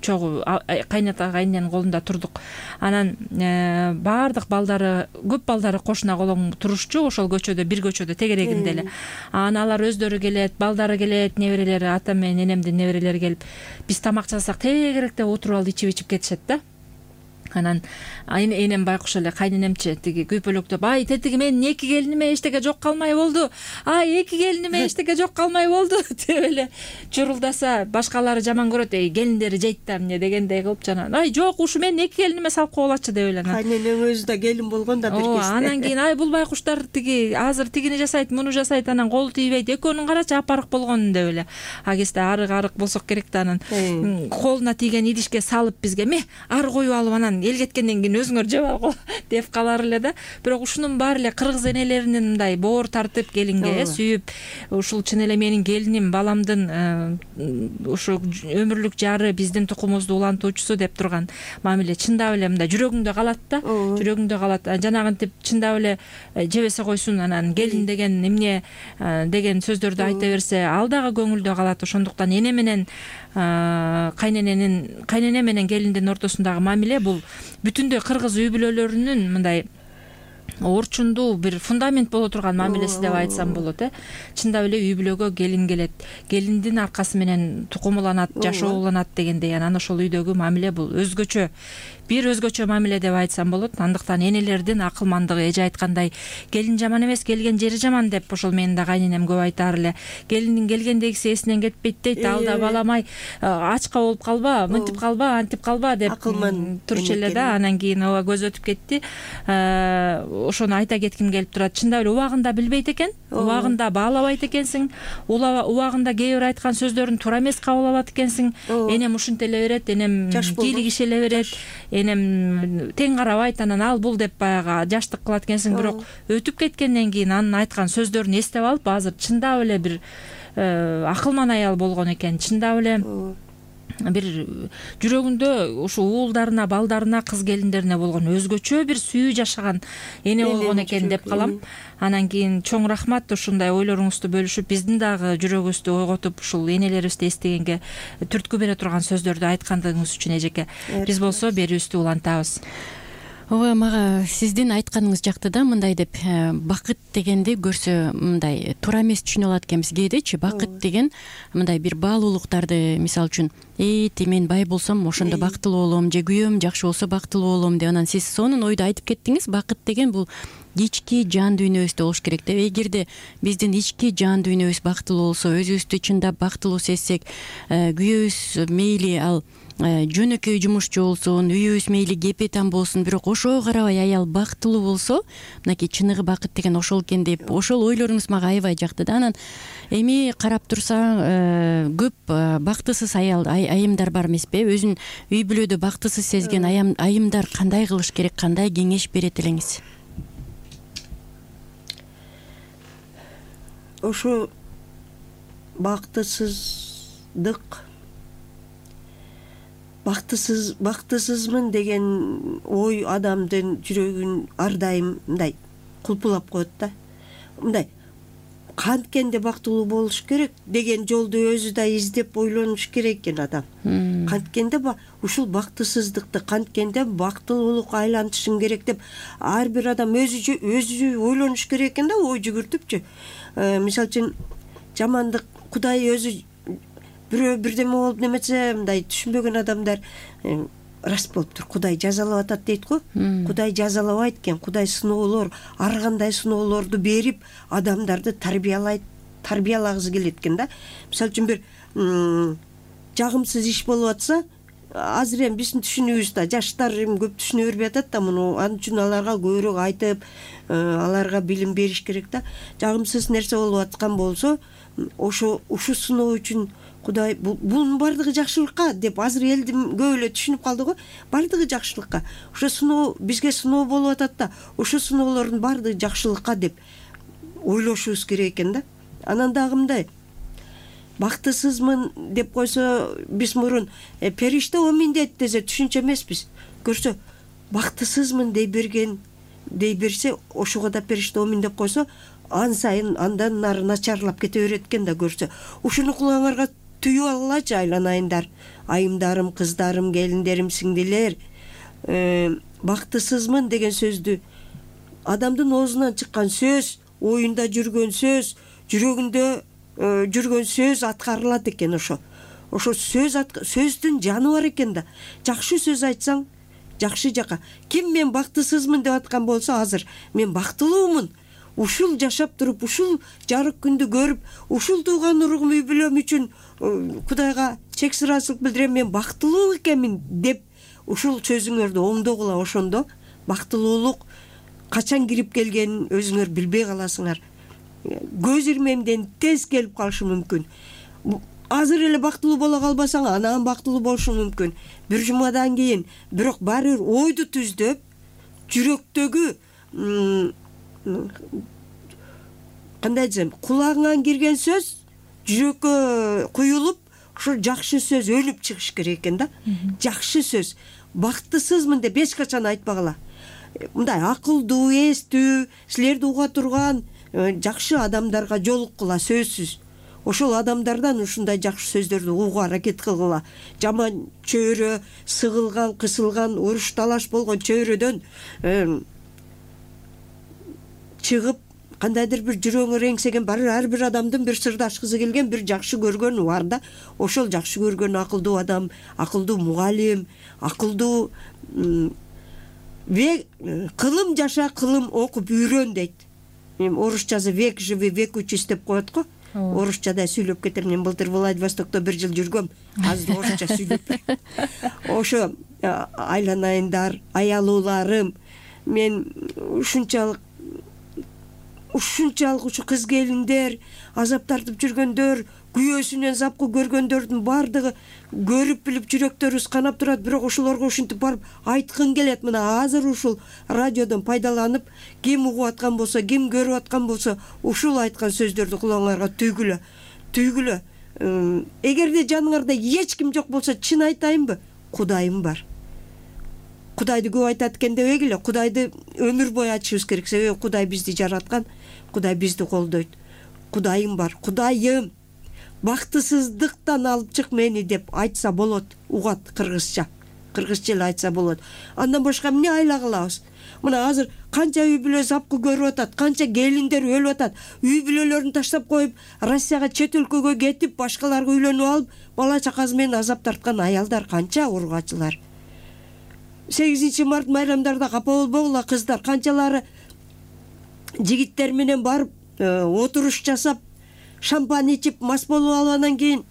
чогуу кайната кайнененин колунда турдук. Анан баардык балдары, көп балдары кошуна колоң турушчу, ошол көчөдө, бир көчөдө тегерегинде эле. Анан алар өздөрү келет, балдары келет, неберелери, ата мен энемдин неберелери келип, биз тамак жасасак тегеректе отуруп алып ичип-ичип кетишет да. Анан энем байкуш эле, кайненемчи тиги күйпөлөктөп, ай тетиги менин эки келиниме эчтеке жок калмай болду, ай эки келиниме эчтеке жок калмай болду деп эле чурулдаса, башкалары жаман көрөт, эй келиндери жейт да эмне дегендей кылып жана, ай жок, ушу менин эки келиниме салып койгулачы деп эле. Кайненең өзү да келин болгон да бир кезде. Анан кийин ай бул байкуштар тиги азыр тигини жасайт, муну жасайт, анан колу тийбейт, экөөнүн карачы апарык болгонун деп эле. А кезде арык арык болсок керек да, анан колуна тийген идишке салып бизге, ме ары коюп алып анан эл кеткенден кийин өзүңөр жеп алгыла деп калар эле да. Бирок ушунун баары эле кыргыз энелеринин мындай боор тартып келинге сүйүп, ушул чын эле менин келиним, баламдын ушу өмүрлүк жары, биздин тукумубузду улантуучусу деп турган мамиле чындап эле мындай жүрөгүңдө калат да, жүрөгүңдө калат. Жанагынтип чындап эле жебесе койсун, анан келин деген эмне деген сөздөрдү айта берсе, ал дагы көңүлдө калат. Ошондуктан эне менен кайнененин кайнене менен келиндин ортосундагы мамиле бул бүтүндөй кыргыз үй бүлөлөрүнүн мындай орчундуу бир фундамент боло турган мамилеси деп айтсам болот. Э чындап эле үй бүлөгө келин келет, келиндин аркасы менен тукум уланат, жашоо уланат дегендей. Анан ошол үйдөгү мамиле бул өзгөчө, бир өзгөчө мамиле деп айтсам болот. Андыктан энелердин акылмандыгы, эже айткандай, келин жаман эмес, келген жери жаман деп ошол менин да кайненем көп айтаар эле. Келиндин келгендегиси эсинен кетпейт дейт, ал да баламай ачка болуп калба, мынтип калба, антип калба деп турчу эле да. Анан кийин ооба көз өтүп кетти. Ошону айта кетким келип турат. Чындап эле убагында билбейт экен, убагында баалабайт экенсиң, убагында кээ бир айткан сөздөрүн туура эмес кабыл алат экенсиң. Энем ушинтеле берет, энем кийлигишеле берет, энем тең карабайт, анан ал бул деп баягы жаштык кылат экенсиң. Бирок өтүп кеткенден кийин анын айткан сөздөрүн эстеп алып, азыр чындап эле бир акылман аял болгон экен. Чындап эле бир жүрөгүндө ушу уулдарына, балдарына, кыз келиндерине болгон өзгөчө бир сүйүү жашаган эне болгон экен деп калам. Анан кийин чоң рахмат ушундай ойлоруңузду бөлүшүп, биздин дагы жүрөгүбүздү ойготуп, ушул энелерибизди эстегенге түрткү бере турган сөздөрдү айткандыгыңыз үчүн эжеке. Биз болсо берүүбүздү улантабыз. ооба, мага сиздин айтканыңыз жакты да, мындай деп, бакыт дегенди көрсө мындай туура эмес түшүнүп алат экенбиз кээдечи. Бакыт деген мындай бир баалуулуктарды, мисалы үчүн эти мен бай болсом ошондо бактылуу болом, же күйөөм жакшы болсо бактылуу болом деп, анан сиз сонун ойду айтып кеттиңиз. Бакыт деген бул ички жан дүйнөбүздө болуш керек деп. Эгерде биздин ички жан дүйнөбүз бактылуу болсо, өзүбүздү чындап бактылуу сезсек, күйөөбүз мейли ал жөнөкөй жумушчу болсун, үйүбүз мейли кепетан болсун, бирок ошого карабай аял бактылуу болсо, мынакей чыныгы бакыт деген ошол экен деп, ошол ойлоруңуз мага аябай жакты да. Анан эми карап турсаң, көп бактысыз аял айымдар бар эмеспи? Өзүн үй бүлөдө бактысыз сезген айымдар кандай кылыш керек, кандай кеңеш берет элеңиз? Ошо бактысыздык, бактысыз бактысызмын деген ой адамдын жүрөгүн ар дайым мындай кулпулап коет да. Мындай канткенде бактылуу болуш керек деген жолду өзү да издеп ойлонуш керек экен адам. Канткенде ушул бактысыздыкты канткенде бактылуулукка айлантышым керек деп ар бир адам өзү өзү ойлонуш керек экен да, ой жүгүртүпчү. Мисалы үчүн жамандык Кудай өзү бирөө бирдеме болуп немесе мындай түшүнбөгөн адамдар рас болуптур. Кудай жазалап атат дейт го. Кудай жазалабайт экен. Кудай сыноолор, ар кандай сыноолорду берип адамдарды тарбиялайт, тарбиялагысы келет экен да. Мисалы үчүн бир жагымсыз иш болуп атса, азыр эми биздин түшүнүүбүздө жаштар эми көп түшүнө бербей атат да муну. Анын үчүн аларга көбүрөөк айтып, аларга билим бериш керек да. Жагымсыз нерсе болуп аткан болсо, ошо ушу сыноо үчүн Кудай бунун бардыгы жакшылыкка деп азыр элдин көп эле түшүнүп калды го. Бардыгы жакшылыкка. Ошо сыноо бизге сыноо болуп атат да, ошо сыноолордун бардыгы жакшылыкка деп ойлошубуз керек экен да. Анан дагы мындай бактысызмын деп койсо, биз мурун периште омин дейт десе түшүнчү эмеспиз. Көрсө бактысызмын дей берген дей берсе, ошого да периште омин деп койсо, ан сайын андан нары начарлап кете берет экен да. Көрсө ушуну кулаңарга түйүп алгылачы айланайындар, айымдарым, кыздарым, келиндерим, сиңдилер. Бактысызмын деген сөздү адамдын оозунан чыккан сөз, оюнда жүргөн сөз, жүрөгүндө жүргөн сөз аткарылат экен. Ошо ошо сөз сөздүн жаны бар экен да. Жакшы сөз айтсаң жакшы жака. Ким мен бактысызмын деп аткан болсо, азыр мен бактылуумун, ушул жашап туруп, ушул жарык күндү көрүп, ушул тууган уругум, үй бүлөм үчүн Кудайга чексиз ыраазычылык билдирем, мен бактылуу экенмин деп ушул сөзүңөрдү оңдогула. Ошондо бактылуулук качан кирип келгенин өзүңөр билбей каласыңар. Көз ирмемден тез келип калышы мүмкүн. Азыр эле бактылуу боло калбасаң, анан бактылуу болушуң мүмкүн. Бир жумадан кийин, бирок баары бир ойду түздөп, жүрөктөгү кандай десем, кулагыңан кирген сөз жүрөккө куюлуп, ошо жакшы сөз өнүп чыгыш керек экен да. Жакшы сөз. Бактысызмын деп эч качан айтпагыла. Мындай акылдуу, эстүү, силерди уга турган жакшы адамдарга жолуккула сөзсүз. Ошол адамдардан ушундай жакшы сөздөрдү угууга аракет кылгыла. Жаман чөйрө, сыгылган, кысылган, уруш талаш болгон чөйрөдөн чыгып, кандайдыр бир жүрөгүңө реңсеген бар ар бир адамдын бир сырдашкысы келген, бир жакшы көргөнү бар да. Ошол жакшы көргөн акылдуу адам, акылдуу мугалим, акылдуу кылым жаша, кылым окуп үйрөн дейт. Мен орусчасы век живи, век учись деп коет го. Орусчада сүйлөп кетем. Мен былтыр Владивостокто бир жыл жүргөм. Азыр орусча сүйлөп. Ошо айланайындар, аялууларым, мен ушунчалык ушунчалык ушу кыз келиндер, азап тартып жүргөндөр, күйөөсүнөн запкы көргөндөрдүн бардыгы көрүп билип жүрөктөрүбүз канап турат, бирок ошолорго ушинтип барып айткым келет. Мына азыр ушул радиодон пайдаланып, ким угуп аткан болсо, ким көрүп аткан болсо, ушул айткан сөздөрдү кулаңарга түйгүлө, түйгүлө. Эгерде жаныңарда эч ким жок болсо, чын айтайынбы, Кудайым бар. Кудайды көп айтат экен дебегиле, Кудайды өмүр бою айтышыбыз керек. Себеби Кудай бизди жараткан, Кудай бизди колдойт. Кудайым бар. Кудайым, бактысыздыктан алып чык мени деп айтса болот, угат кыргызча. кыргызча эле айтса болот. Андан башка эмне айла кылабыз? Мына азыр канча үй бүлө запкы көрүп атат, канча келиндер өлүп атат, үй бүлөлөрүн таштап коюп, Россияга, чет өлкөгө кетип, башкаларга үйлөнүп алып, бала чакасы менен азап тарткан аялдар канча, ургачылар. сегизинчи март майрамдарда капа болбогула, кыздар канчалары жигиттер менен барып отуруш жасап, шампань ичип, мас болуп алып, анан кийин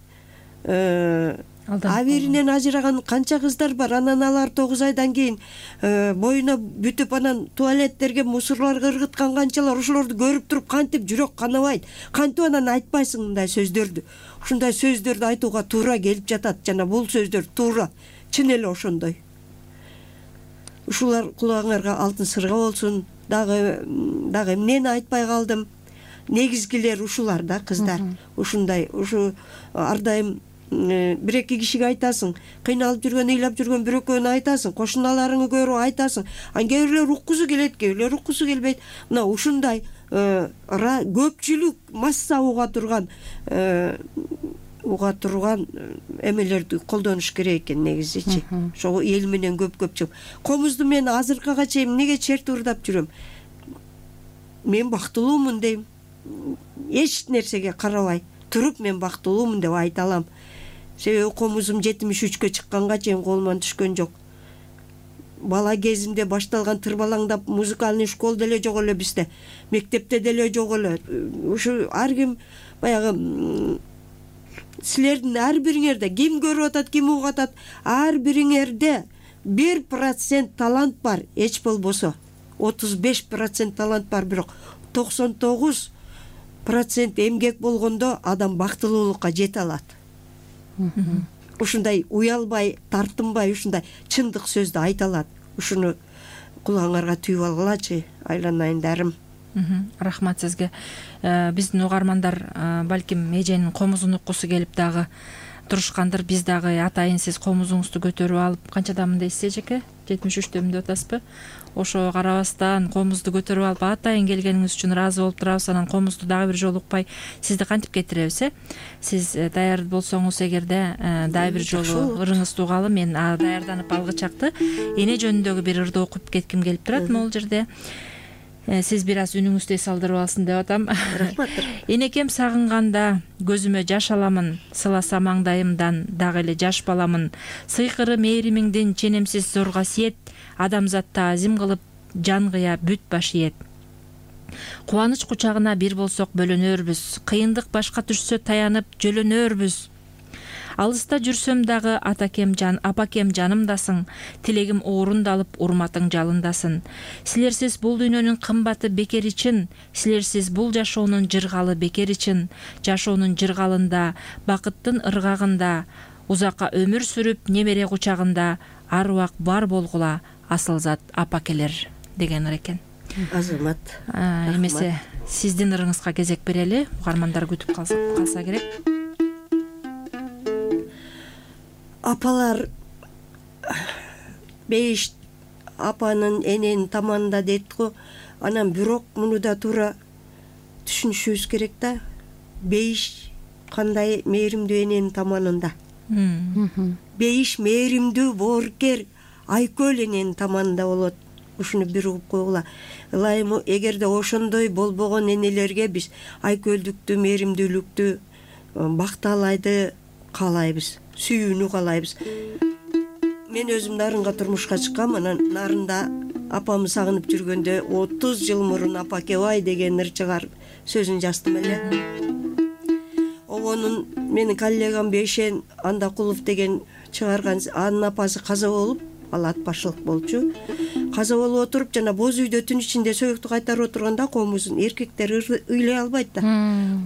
абийиринен ажыраган канча кыздар бар. Анан алар тогуз айдан кийин боюна бүтүп, анан туалеттерге мусорлорго ыргыткан канчалар. Ошолорду көрүп туруп кантип жүрөк канабайт, кантип анан айтпайсың мындай сөздөрдү. Ушундай сөздөрдү айтууга туура келип жатат жана бул сөздөр туура, чын эле ошондой. Ушулар кулагыңарга алтын сырга болсун. Дагы дагы эмнени айтпай калдым? Негизгилер ушулар да, кыздар. Ушундай, ушу ар дайым бир эки кишиге айтасың, кыйналып жүргөн, ыйлап жүргөн бир экөөнү айтасың, кошуналарыңы көрүп айтасың. Ан кээ бирлер уккусу келет, кээ бирлер уккусу келбейт. Мына ушундай көпчүлүк масса уга турган уга турган эмелерди колдонуш керек экен негизичи. Ошо эл менен көп-көп чыгып. Комузду мен азыркыга чейин эмнеге черт урдап жүрөм? Мен бактылуумун дейм. Эч нерсеге карабай туруп мен бактылуумун деп айта алам. Себеби комузум жетимиш үчкө чыкканга чейин колуман түшкөн жок. Бала кезимде башталган тырбалаңдап музыкальный школ деле жок эле бизде. Мектепте деле жок эле. Ушу ар ким баягы силердин ар бириңерде ким көрүп атат, ким угуп атат, ар бириңерде бир процент талант бар, эч болбосо. отуз беш процент талант бар, бирок токсон тогуз процент эмгек болгондо адам бактылуулукка жете алат. Ушундай уялбай, тартынбай, ушундай чындык сөздү айта алат. Ушуну кулагыңарга түйүп алгылачы, айланайындарым. Рахмат сизге. Биздин угармандар балким эженин комузун уккусу келип дагы турушкандыр. Биз дагы атайын сиз комузуңузду көтөрүп алып, канчадамын дейсиз эжеке? жетимиш үчтөмүн деп атасызбы? Ошо карабастан комузду көтөрүп алып атайын келгениңиз үчүн ыраазы болуп турабыз. Анан комузду дагы бир жолу укпай сизди кантип кетиребиз, э? Сиз даяр болсоңуз эгерде дагы бир жолу ырыңызды угалы, мен даярданып алгычакты эне жөнүндөгү бир ырды окуп кетким келип турат могул жерде. Сиз бир аз үнүңүздү эс алдырып алсын деп атам. Рахмат. Энекем сагынганда көзүмө жаш аламын, сыласа маңдайымдан дагы эле жаш баламын. Сыйкыры мээримиңдин ченемсиз зор касиет, адамзатта азим кылып жан кыя бүт баш ийет. Кубаныч кучагына бир болсок бөлөнөрбүз, кыйындык башка түшсө таянып жөлөнөрбүз. Алыста жүрсөм дагы атакем жан, апакем жанымдасың, тилегим орундалып урматың жалындасын. Силерсиз бул дүйнөнүн кымбаты бекер ичин, силерсиз бул жашоонун жыргалы бекер ичин, жашоонун жыргалында, бакыттын ыргагында, узакка өмүр сүрүп немере кучагында, ар убак бар болгула асыл зат апакелер деген экен. Азамат. Эмесе сиздин ырыңызга кезек берели, угармандар күтүп калса керек. Апалар беш апанын эненин таманында дейт го. Анан бирок муну да туура түшүнүшүбүз керек да. Бейиш кандай мээримдүү эненин таманында. Бейиш мээримдүү, боорукер, айкөл эненин таманында болот. Ушуну бир угуп койгула. Ылайым эгерде ошондой болбогон энелерге биз айкөлдүктү, мээримдүүлүктү, бакталайды каалайбыз, сүйүүнү каалайбыз. Мен өзүм нарынга турмушка чыккам, анан нарында апамы сагынып жүргөндө отуз жыл мурун апакебай деген ыр чыгарып сөзүн жаздым эле. Обонун менин коллегам Бейшен Андакулов деген чыгарган, анын апасы каза болуп, ал ат башчылык болчу. Каза болуп отуруп жана боз үйдө түн ичинде сөйөктү кайтарып отурганда комузун эркектер ыйлай албайт да.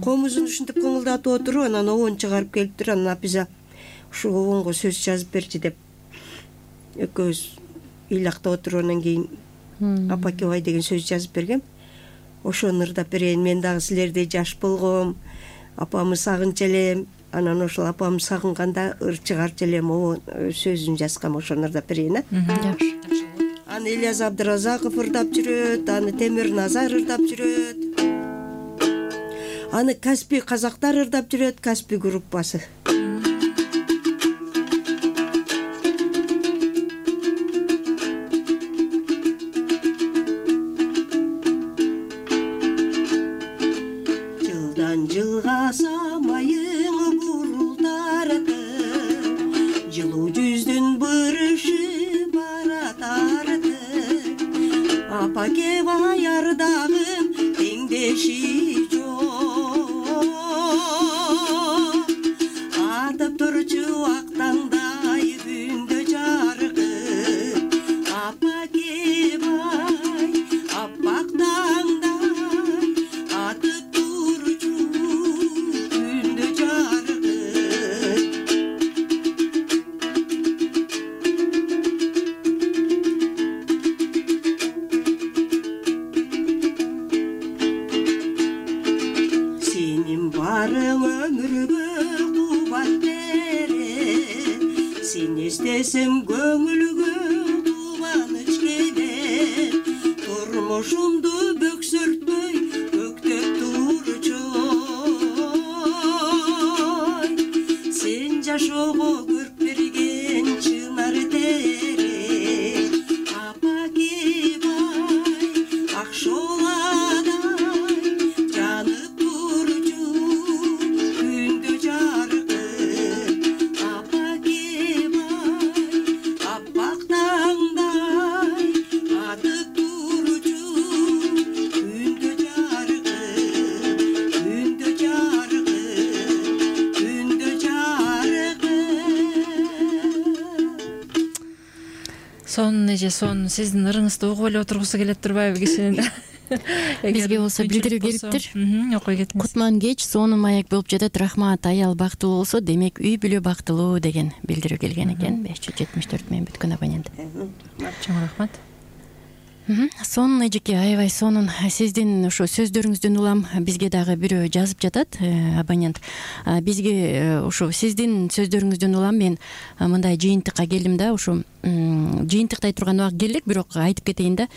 Комузун ушинтип кыңылдатып отуруп, анан обон чыгарып келиптир. Анан Апиза ушу обонго сөз жазып берчи деп экөөбүз ыйлактап отуруп, анан кийин апакебай деген сөз жазып бергем. Ошону ырдап берейин. Мен дагы силердей жаш болгом, апамы сагынчу элем. Анан ошол апамы сагынганда ыр чыгарчу элем, обон сөзүн жазгам. Ошону ырдап берейин, а? Жакшы. Аны Ильяс Абдыразаков ырдап жүрөт, аны Темир Назар ырдап жүрөт. Аны Каспий казактар ырдап жүрөт, Каспий группасы. жылгаса майың бурултарды жылуу жүздүн бырышы баратарды апа кеп аярдагым теңдеши жок атып турчу ак таңдай күндө жаркып апа кеп ай аппак таңдай атып турчу күндө жаркып сенин барың өмүргө кубат берет сени эстесем көңүлгө кубаныч келет турмушумду бөксөртпөй көктөп турчу сен жашоого көрк берген чынар терек апа кеп ай ак шооладай жанып турчу күндө жаркып апа кеп ай аппак таңдай атып турчу күндө жаркып күндө жаркып күндө жаркып сонун эже сонун сиздин ырыңызды угуп эле отургусу келет турбайбы кишинин Бизге болсо билдирүү келиптир. Окуй кетиңиз. Кутман кеч сонун маек болуп жатат. Рахмат, аял бактылуу болсо, демек үй бүлө бактылуу деген билдирүү келген экен. беш жүз жетимиш төрт менен бүткөн абонент. Чоң рахмат. Сонун эжеке, аябай сонун. Сиздин ошо сөздөрүңүздөн улам бизге дагы бирөө жазып жатат, абонент. Бизге ошо сиздин сөздөрүңүздөн улам мен мындай жыйынтыкка келдим да, ошо жыйынтыктай турган убак келдик, бирок айтып кетейин да.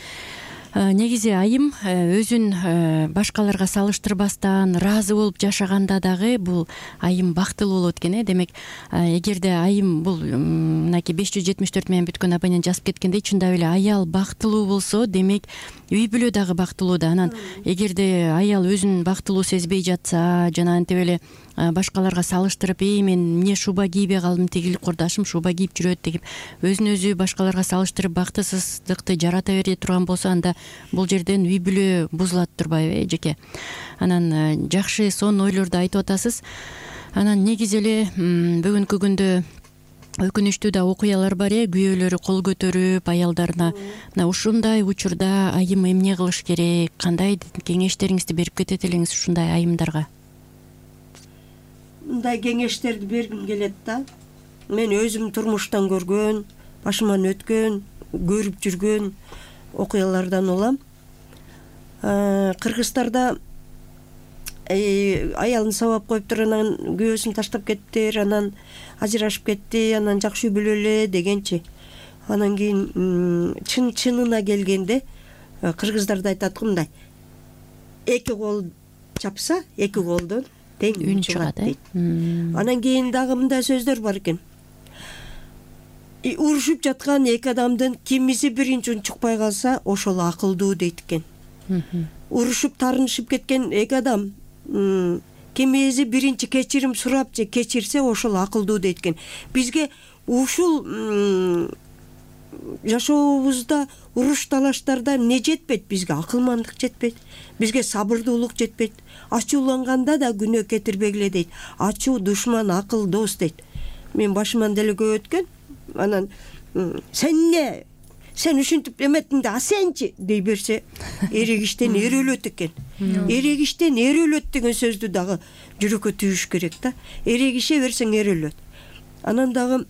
Негизи айым өзүн башкаларга салыштырбастан ыраазы болуп жашаганда дагы бул айым бактылуу болот экен. Демек, эгерде айым бул мынакей беш жүз жетимиш төрт менен бүткөн абонент жазып кеткендей, чындап эле аял бактылуу болсо, демек үй бүлө дагы бактылуу да. Анан эгерде аял өзүн бактылуу сезбей жатса, жана антип эле башкаларга салыштырып, "Эй, мен эмне шуба кийбей калдым, тигил курдашым шуба кийип жүрөт" деп өзүн өзү башкаларга салыштырып бактысыздыкты жарата бере турган болсо, анда бул жерден үй бүлө бузулат турбайбы, эжеке? Анан жакшы сонун ойлорду айтып атасыз. Анан негизи эле бүгүнкү күндө өкүнүчтүү да окуялар бар э, күйөөлөрү кол көтөрүп аялдарына мына ушундай учурда айым эмне кылыш керек, кандай кеңештериңизди берип кетет элеңиз ушундай айымдарга? Мындай кеңештерди бергим келет да. Мен өзүм турмуштан көргөн, башыман өткөн, көрүп жүргөн окуялардан улам. Кыргызстарда аялын сабап коюптур, анан күйөөсүн таштап кетти, анан ажырашып кетти, анан жакшы үй бүлө эле дегенчи. Анан кийин чын чынына келгенде кыргыздарда айтат го мындай: эки кол чапса, эки колдон тең үн чыгат дейт. Анан кийин дагы мындай сөздөр бар экен: урушуп жаткан эки адамдын кимиси биринчи унчукпай калса, ошол акылдуу дейт экен. Урушуп тарынышып кеткен эки адам кимиси биринчи кечирим сурап же кечирсе, ошол акылдуу дейт экен. Бизге ушул жашообузда уруш талаштарда эмне жетпейт? Бизге акылмандык жетпейт, бизге сабырдуулук жетпейт. Ачууланганда да күнөө кетирбегиле дейт. Ачуу душман, акыл дос дейт. Мен башыман деле көп өткөн. Анан сен эмне, сен ушинтип эметтиң да, а сенчи дей берсе, эрегиштен эр өлөт экен. Эрегиштен эр өлөт деген сөздү дагы жүрөккө түйүш керек да. Эрегише берсең эр өлөт. Анан дагы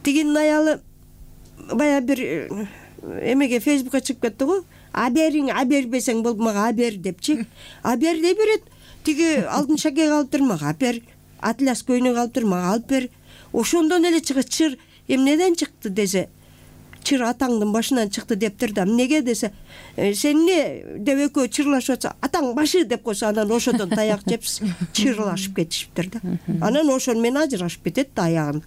тигинин аялы бая бир эмеге Фейсбукка чыгып кетти го. А бериң, а бербесең болуп мага а бер депчи. А бер дей берет. Тиги алтын шаке калыптыр, мага а бер. Атлас көйнөк калыптыр, мага алып бер. Ошондон эле чыгат. Чыр эмнеден чыкты десе, чыр атаңдын башынан чыкты дептир да. Эмнеге десе, сен эмне деп экөө чырлашып атса, атаң башы деп койсо, анан ошодон таяк жеп чырлашып кетишиптир да. Анан ошон менен ажырашып кетет да аягын.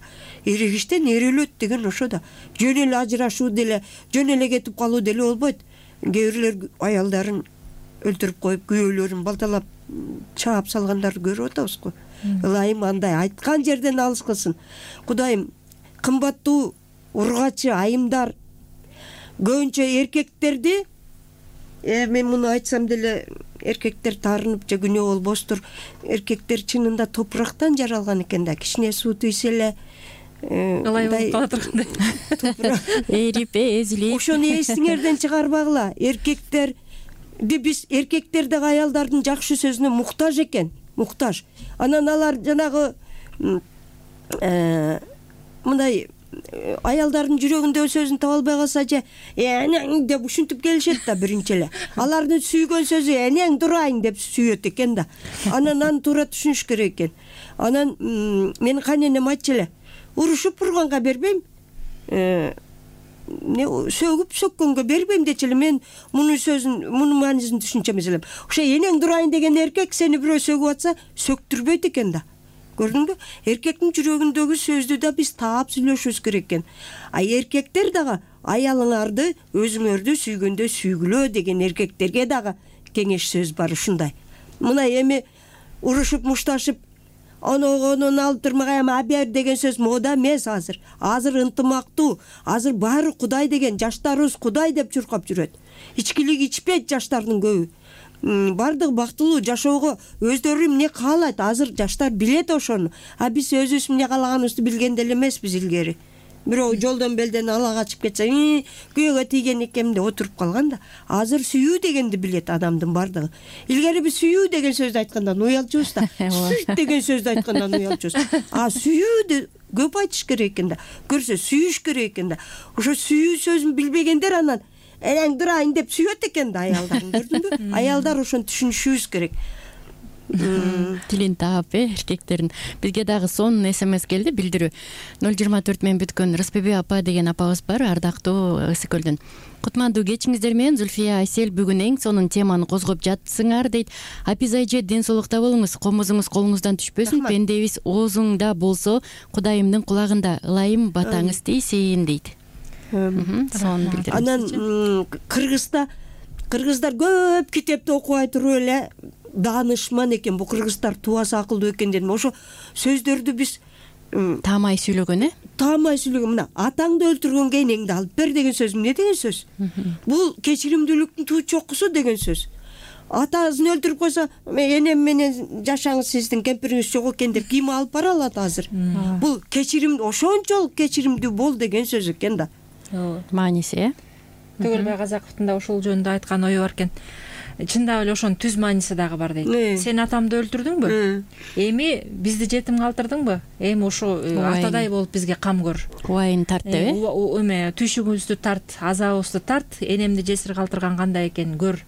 Эрегиштен эр өлөт деген ошо да. Жөн эле ажырашуу деле, жөн эле кетип калуу деле болбойт. Кээ бирлер аялдарын өлтүрүп коюп күйөөлөрүн балталап чаап салгандарды көрүп атабыз го. Ылайым андай айткан жерден алыс кылсын. Кудайым кымбаттуу ургачы айымдар көбүнчө эркектерди, мен муну айтсам деле эркектер таарынып же күнөө болбостур. Эркектер чынында топурактан жаралган экен да, кичине суу тийсе эле ылай болуп кала тургандай. Эрип эзилип. Ошону эсиңерден чыгарбагыла. Эркектер биз эркектер да аялдардын жакшы сөзүнө муктаж экен, муктаж. Анан алар жанагы мындай аялдардын жүрөгүндөгү сөзүн таба албай калса же энең деп ушинтип келишет да биринчи эле. Алардын сүйгөн сөзү энең турайын деп сүйөт экен да. Анан аны туура түшүнүш керек экен. Анан менин кайненем айтчу эле, урушуп урганга бербейм, сөгүп сөккөнгө бербейм дечи эле. Мен мунун сөзүн, мунун маанисин түшүнчү эмес элем. Ошо энең турайын деген эркек сени бирөө сөгүп атса, сөктүрбөйт экен да. Көрдүңбү? Эркектин жүрөгүндөгү сөздү да биз таап сүйлөшүбүз керек экен. А эркектер дагы аялыңарды өзүңөрдү сүйгөндө сүйгүлө деген эркектерге дагы кеңеш сөз бар ушундай. Мына эми урушуп мушташып оногонун алып турмагай эми абер деген сөз мода эмес азыр. Азыр ынтымактуу, азыр баары Кудай деген, жаштарыбыз Кудай деп чуркап жүрөт. Ичкилик ичпейт жаштардын көбү. Бардык бактылуу жашоого өздөрү эмне каалайт, азыр жаштар билет ошону. А биз өзүбүз эмне каалаганыбызды билген деле эмеспиз илгери. Бирөө жолдон белден ала качып кетсе, күйөөгө тийген экем деп отуруп калган да. Азыр сүйүү дегенди билет адамдын бардыгы. Илгери биз сүйүү деген сөздү айткандан уялчубуз да. Сүйт деген сөздү айткандан уялчубуз. А сүйүүдү көп айтыш керек экен да. Көрсө сүйүш керек экен да. Ошо сүйүү сөзүн билбегендер анан энең турайын деп сүйөт экен да аялдарын, көрдүңбү? Аялдар ошону түшүнүшүбүз керек. Тилин таап э эркектердин. Бизге дагы сонун смс келди, билдирүү. ноль жыйырма төрт менен бүткөн Рыспебе апа деген апабыз бар, ардактуу Ысык көлдөн. Кутмандуу кечиңиздер менен Зульфия Айсел бүгүн эң сонун теманы козгоп жатсыңар дейт. Апиз айже ден соолукта болуңуз, комузуңуз колуңуздан түшпөсүн, пендебиз оозуңда болсо, Кудайымдын кулагында, ылайым батаңыз тийсин дейт. Сонун билдирүү. Анан Кыргызда кыргыздар көп китепти окубай туруп эле даанышман экен. Бу кыргыздар тубасы акылдуу экен дедим. Ошо сөздөрдү биз таамай сүйлөгөн э? Таамай сүйлөгөн. Мына атаңды өлтүргөнгө энеңди алып бер деген сөз эмне деген сөз? Бул кечиримдүүлүктүн туу чокусу деген сөз. Атасын өлтүрүп койсо, энем менен жашаңыз, сиздин кемпириңиз жок экен деп ким алып бара алат азыр? Бул кечирим, ошончолук кечиримдүү бол деген сөз экен да. Мааниси э? Төгөлбай Казаковдун да ошол жөнүндө айткан ою бар экен. Чындап эле ошонун түз мааниси дагы бар дейт. Сен атамды өлтүрдүңбү? Эми бизди жетим калтырдыңбы? Эми ошо атадай болуп бизге кам көр. Убайын тарт деп э? Эме түйшүгүбүздү тарт, азабыбызды тарт, энемди жесир калтырган кандай экен көр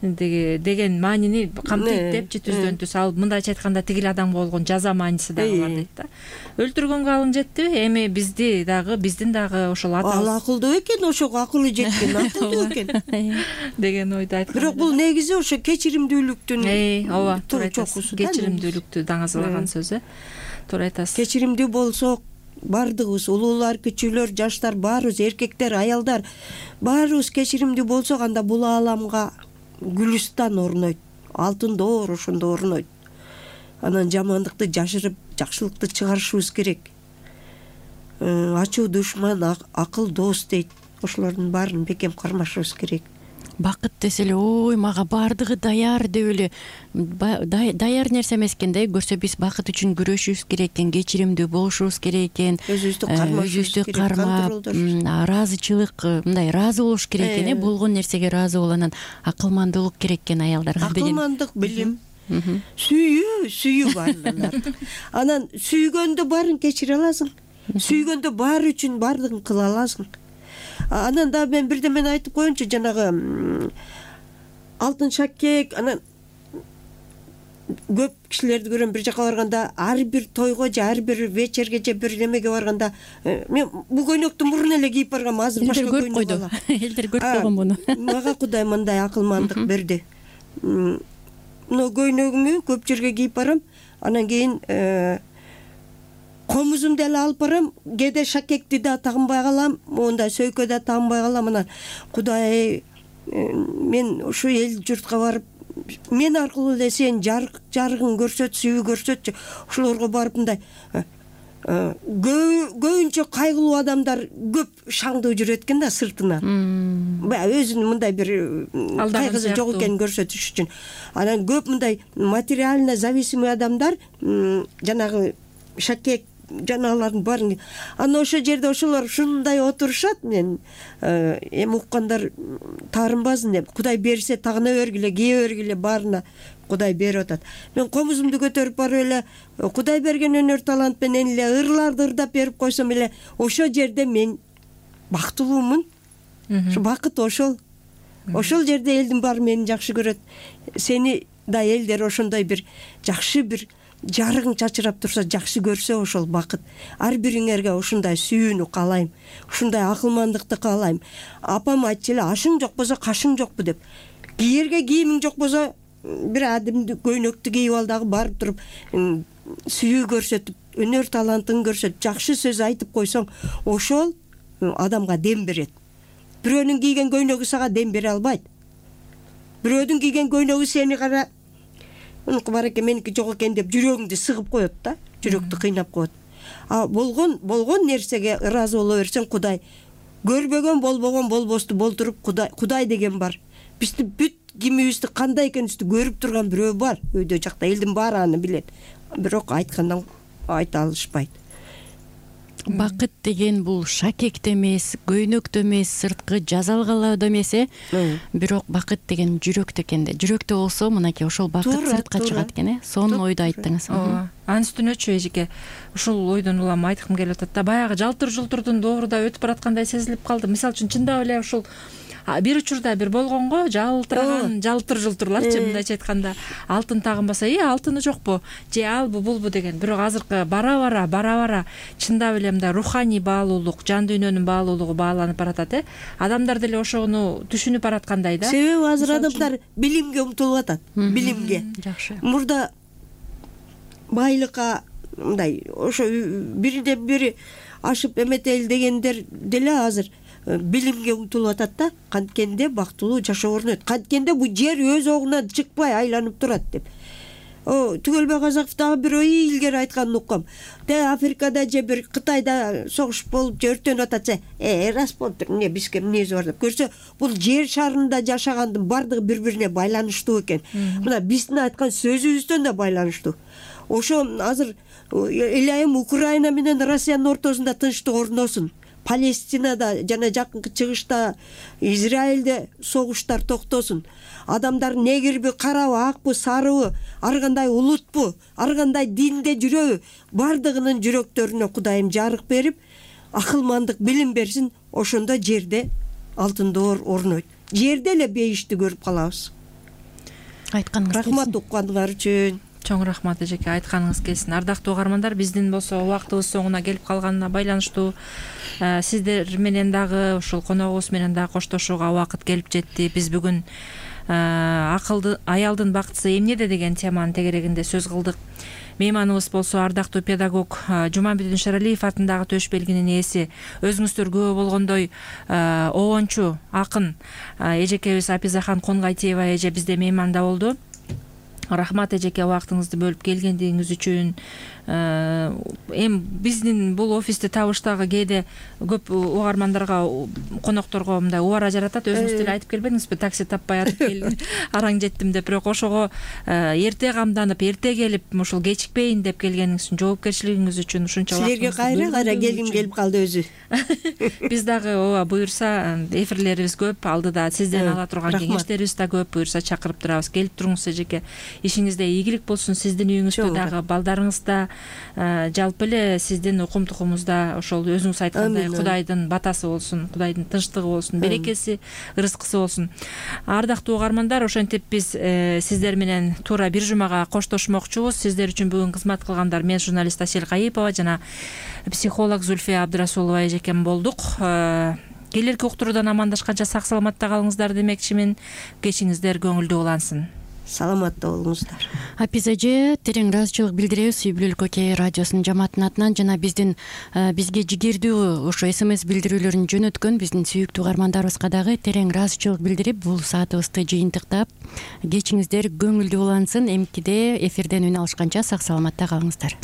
деген маанини камтыйт депчи түздөн түз. Ал мындайча айтканда тигил адамга болгон жаза мааниси дагы бар дейт да. Өлтүргөнгө алың жеттиби? Эми бизди дагы, биздин дагы ошол атабыз. Ал акылдуу экен, ошого акылы жеткен, акылдуу экен деген ойду айткан. Бирок бул негизи ошо кечиримдүүлүктүн ооба, туура айтасыз. Кечиримдүүлүктү даңазалаган сөз э. Туура айтасыз. Кечиримдүү болсок, бардыгыбыз, улуулар, кичүүлөр, жаштар, баарыбыз, эркектер, аялдар, баарыбыз кечиримдүү болсок, анда бул ааламга Гүлүстан орнойт, алтын доор ошондо орнойт. Анан жамандыкты жашырып, жакшылыкты чыгарышыбыз керек. Ачуу душман, акыл дос дейт. Ошолордун баарын бекем кармашыбыз керек. Бакыт десе эле, ой, мага баардыгы даяр деп эле даяр нерсе эмес экен да. Көрсө биз бакыт үчүн күрөшүбүз керек экен, кечиримдүү болушубуз керек экен. Өзүбүздү кармашыбыз керек, кармап, ыраазычылык, мындай ыраазы болуш керек экен э. Болгон нерсеге ыраазы бол, анан акылмандуулук керек экен аялдарга. Акылмандык, билим, сүйүү, сүйүү баарынан. Анан сүйгөндө баарын кечире аласың. Сүйгөндө баары үчүн баардыгын кыла аласың. Анан да мен бирдемени айтып коеюнчу, жанагы алтын шакек, анан көп кишилерди көрөм, бир жака барганда, ар бир тойго же ар бир вечерге же бир немеге барганда, мен бул көйнөктү мурун эле кийип баргам, азыр башка көйнөк алам. Элдер көрүп койгон муну. Мага Кудай мындай акылмандык берди. Мына көйнөгүмү көп жерге кийип барам, анан кийин комузумду эле алып барам, кээде шакекти да тагынбай калам, монда сөйкө да тагынбай калам. Анан Кудай, мен ушу эл журтка барып мен аркылуу эле сен жарык жарыгың көрсөт, сүйүү көрсөтчү. Ошолорго барып мындай көбүнчө кайгылуу адамдар көп шаңдуу жүрөт экен да сыртынан. Баягы өзүнүн мындай бир кайгысы жок экенин көрсөтүш үчүн. Анан көп мындай материально зависимый адамдар, жанагы шакек жанаалардын баарын. Анан ошол жерде ошолор ушундай отурушат. Мен эми уккандар таарынбасын деп, Кудай берсе тагына бергиле, кие бергиле, баарына Кудай берип атат. Мен комузумду көтөрүп барып эле Кудай берген өнөр талант менен эле ырларды ырдап берип койсом эле ошол жерде мен бактылуумун. Ошо бакыт ошол. Ошол жерде элдин баары мени жакшы көрөт. Сени да элдер ошондой бир жакшы бир жарыгың чачырап турса, жакшы көрсө ошол бакыт. Ар бириңерге ушундай сүйүүнү каалайм. Ушундай акылмандыкты каалайм. Апам айтчу эле, ашың жок болсо кашың жокпу деп. Кийерге кийимиң жок болсо бир адимди көйнөктү кийип ал дагы барып туруп сүйүү көрсөтүп, өнөр талантын көрсөтүп, жакшы сөз айтып койсоң, ошол адамга дем берет. Бирөөнүн кийген көйнөгү сага дем бере албайт. Бирөөдүн кийген көйнөгү сени кара, унуку бар экен, меники жок экен деп жүрөгүңдү сыгып коет да, жүрөктү кыйнап коет. А болгон болгон нерсеге ыраазы боло берсең, Кудай көрбөгөн болбогон болбосту болтуруп Кудай Кудай деген бар. Бизди бүт кимибизди кандай экенибизди көрүп турган бирөө бар өйдө жакта, элдин баары аны билет. Бирок айткандан айта алышпайт. Бакыт деген бул шакекте эмес, көйнөктө эмес, сырткы жазалгалауда эмес э. Бирок бакыт деген жүрөктө экен да. Жүрөктө болсо, мынакей ошол бакыт сыртка чыгат экен э. Сонун ойду айттыңыз. Анын үстүнөчү эжеке, ушул ойдон улам айткым келип атат да, баягы жалтыр-жултурдун дооруда өтүп бараткандай сезилип калды. Мисалы үчүн чындап эле ушул бир учурда бир болгонго жалтыраган жалтыр-жултурларчы, мындайча айтканда, алтын тагынбаса, э алтыны жокпу, же албу булбу деген. Бирок азыркы бара-бара, бара-бара чындап эле мындай руханий баалуулук, жан дүйнөнүн баалуулугу бааланып баратат э. Адамдар деле ошону түшүнүп бараткандай да. Себеби азыр адамдар билимге умтулуп атат, билимге. Жакшы. Мурда байлыкка мындай ошо биринен бири ашып эметели дегендер деле азыр билимге умтулуп атат да. Канткенде бактылуу жашоо орнойт. Канткенде бул жер өз огунан чыкпай айланып турат деп. О, Түгөлбай Казаков дагы бир ой илгери айтканын уккам. Те Африкада же бир Кытайда согуш болуп же өртөнүп атса, э рас болуптур, эмне бизге эмнеси бар деп көрсө, бул жер шарында жашагандын бардыгы бири-бирине байланыштуу экен. Мына биздин айткан сөзүбүздөн да байланыштуу. Ошо азыр элайым Украина менен Россиянын ортосунда тынчтык орносун. Палестинада жана жакынкы чыгышта, Израилде согуштар токтосун. Адамдар негирби, карабы, акпы, сарыбы, ар кандай улутпу, ар кандай динде жүрөбү, бардыгынын жүрөктөрүнө Кудайым жарык берип, акылмандык, билим берсин. Ошондо жерде алтын доор орнойт. Жерде эле бейишти көрүп калабыз. Айтканыңыз рахмат укканыңар үчүн. Чоң рахмат эжеке, айтканыңыз келсин. Ардактуу угармандар, биздин болсо убактыбыз соңуна келип калганына байланыштуу сиздер менен дагы, ушул коногубуз менен дагы коштошууга убакыт келип жетти. Биз бүгүн акылды аялдын бактысы эмнеде деген теманын тегерегинде сөз кылдык. Мейманыбыз болсо ардактуу педагог Жуманбедин Шаралиев атындагы төш белгинин ээси, өзүңүздөр күбө болгондой обончу акын эжекебиз Апизахан Конгайтиева эже бизде мейманда болду. Рахмат эжеке, убактыңызды бөлүп келгендигиңиз үчүн. Эми биздин бул офисти табыштагы кээде көп угармандарга, конокторго мындай убара жаратат. Өзүңүз деле айтып келбедиңизби, такси таппай атып келдим, араң жеттим деп. Бирок ошого эрте камданып, эрте келип, ушул кечикпейин деп келгениңиз үчүн, жоопкерчилигиңиз үчүн ушунча силерге кайра кайра келгим келип калды өзү. Биз дагы ооба буюрса эфирлерибиз көп, алдыда сизден ала турган кеңештерибиз да көп. Буюрса чакырып турабыз. Келип туруңуз эжеке. Ишиңизде ийгилик болсун, сиздин үйүңүздө дагы, балдарыңызда, жалпы эле сиздин укум-тукумузда ошол өзүңүз айткандай Кудайдын батасы болсун, Кудайдын тынчтыгы болсун, берекеси, ырыскысы болсун. Ардактуу угармандар, ошентип биз сиздер менен туура бир жумага коштошмокчубуз. Сиздер үчүн бүгүн кызмат кылгандар мен журналист Асель Кайыпова жана психолог Зульфия Абдрасулова эжекем болдук. Келерки уктуруудан амандашканча сак саламатта калыңыздар демекчимин. Кечиңиздер көңүлдүү улансын. саламатта болуңуздар. Апиз эже, терең ыраазычылык билдиребиз үй бүлөлүк окей радиосунун жамаатынын атынан жана биздин бизге жигердүү ошо смс билдирүүлөрүн жөнөткөн биздин сүйүктүү угармандарыбызга дагы терең ыраазычылык билдирип, бул саатыбызды жыйынтыктап, кечиңиздер көңүлдүү улансын. Эмкиде эфирден үн алышканча сак саламатта калыңыздар.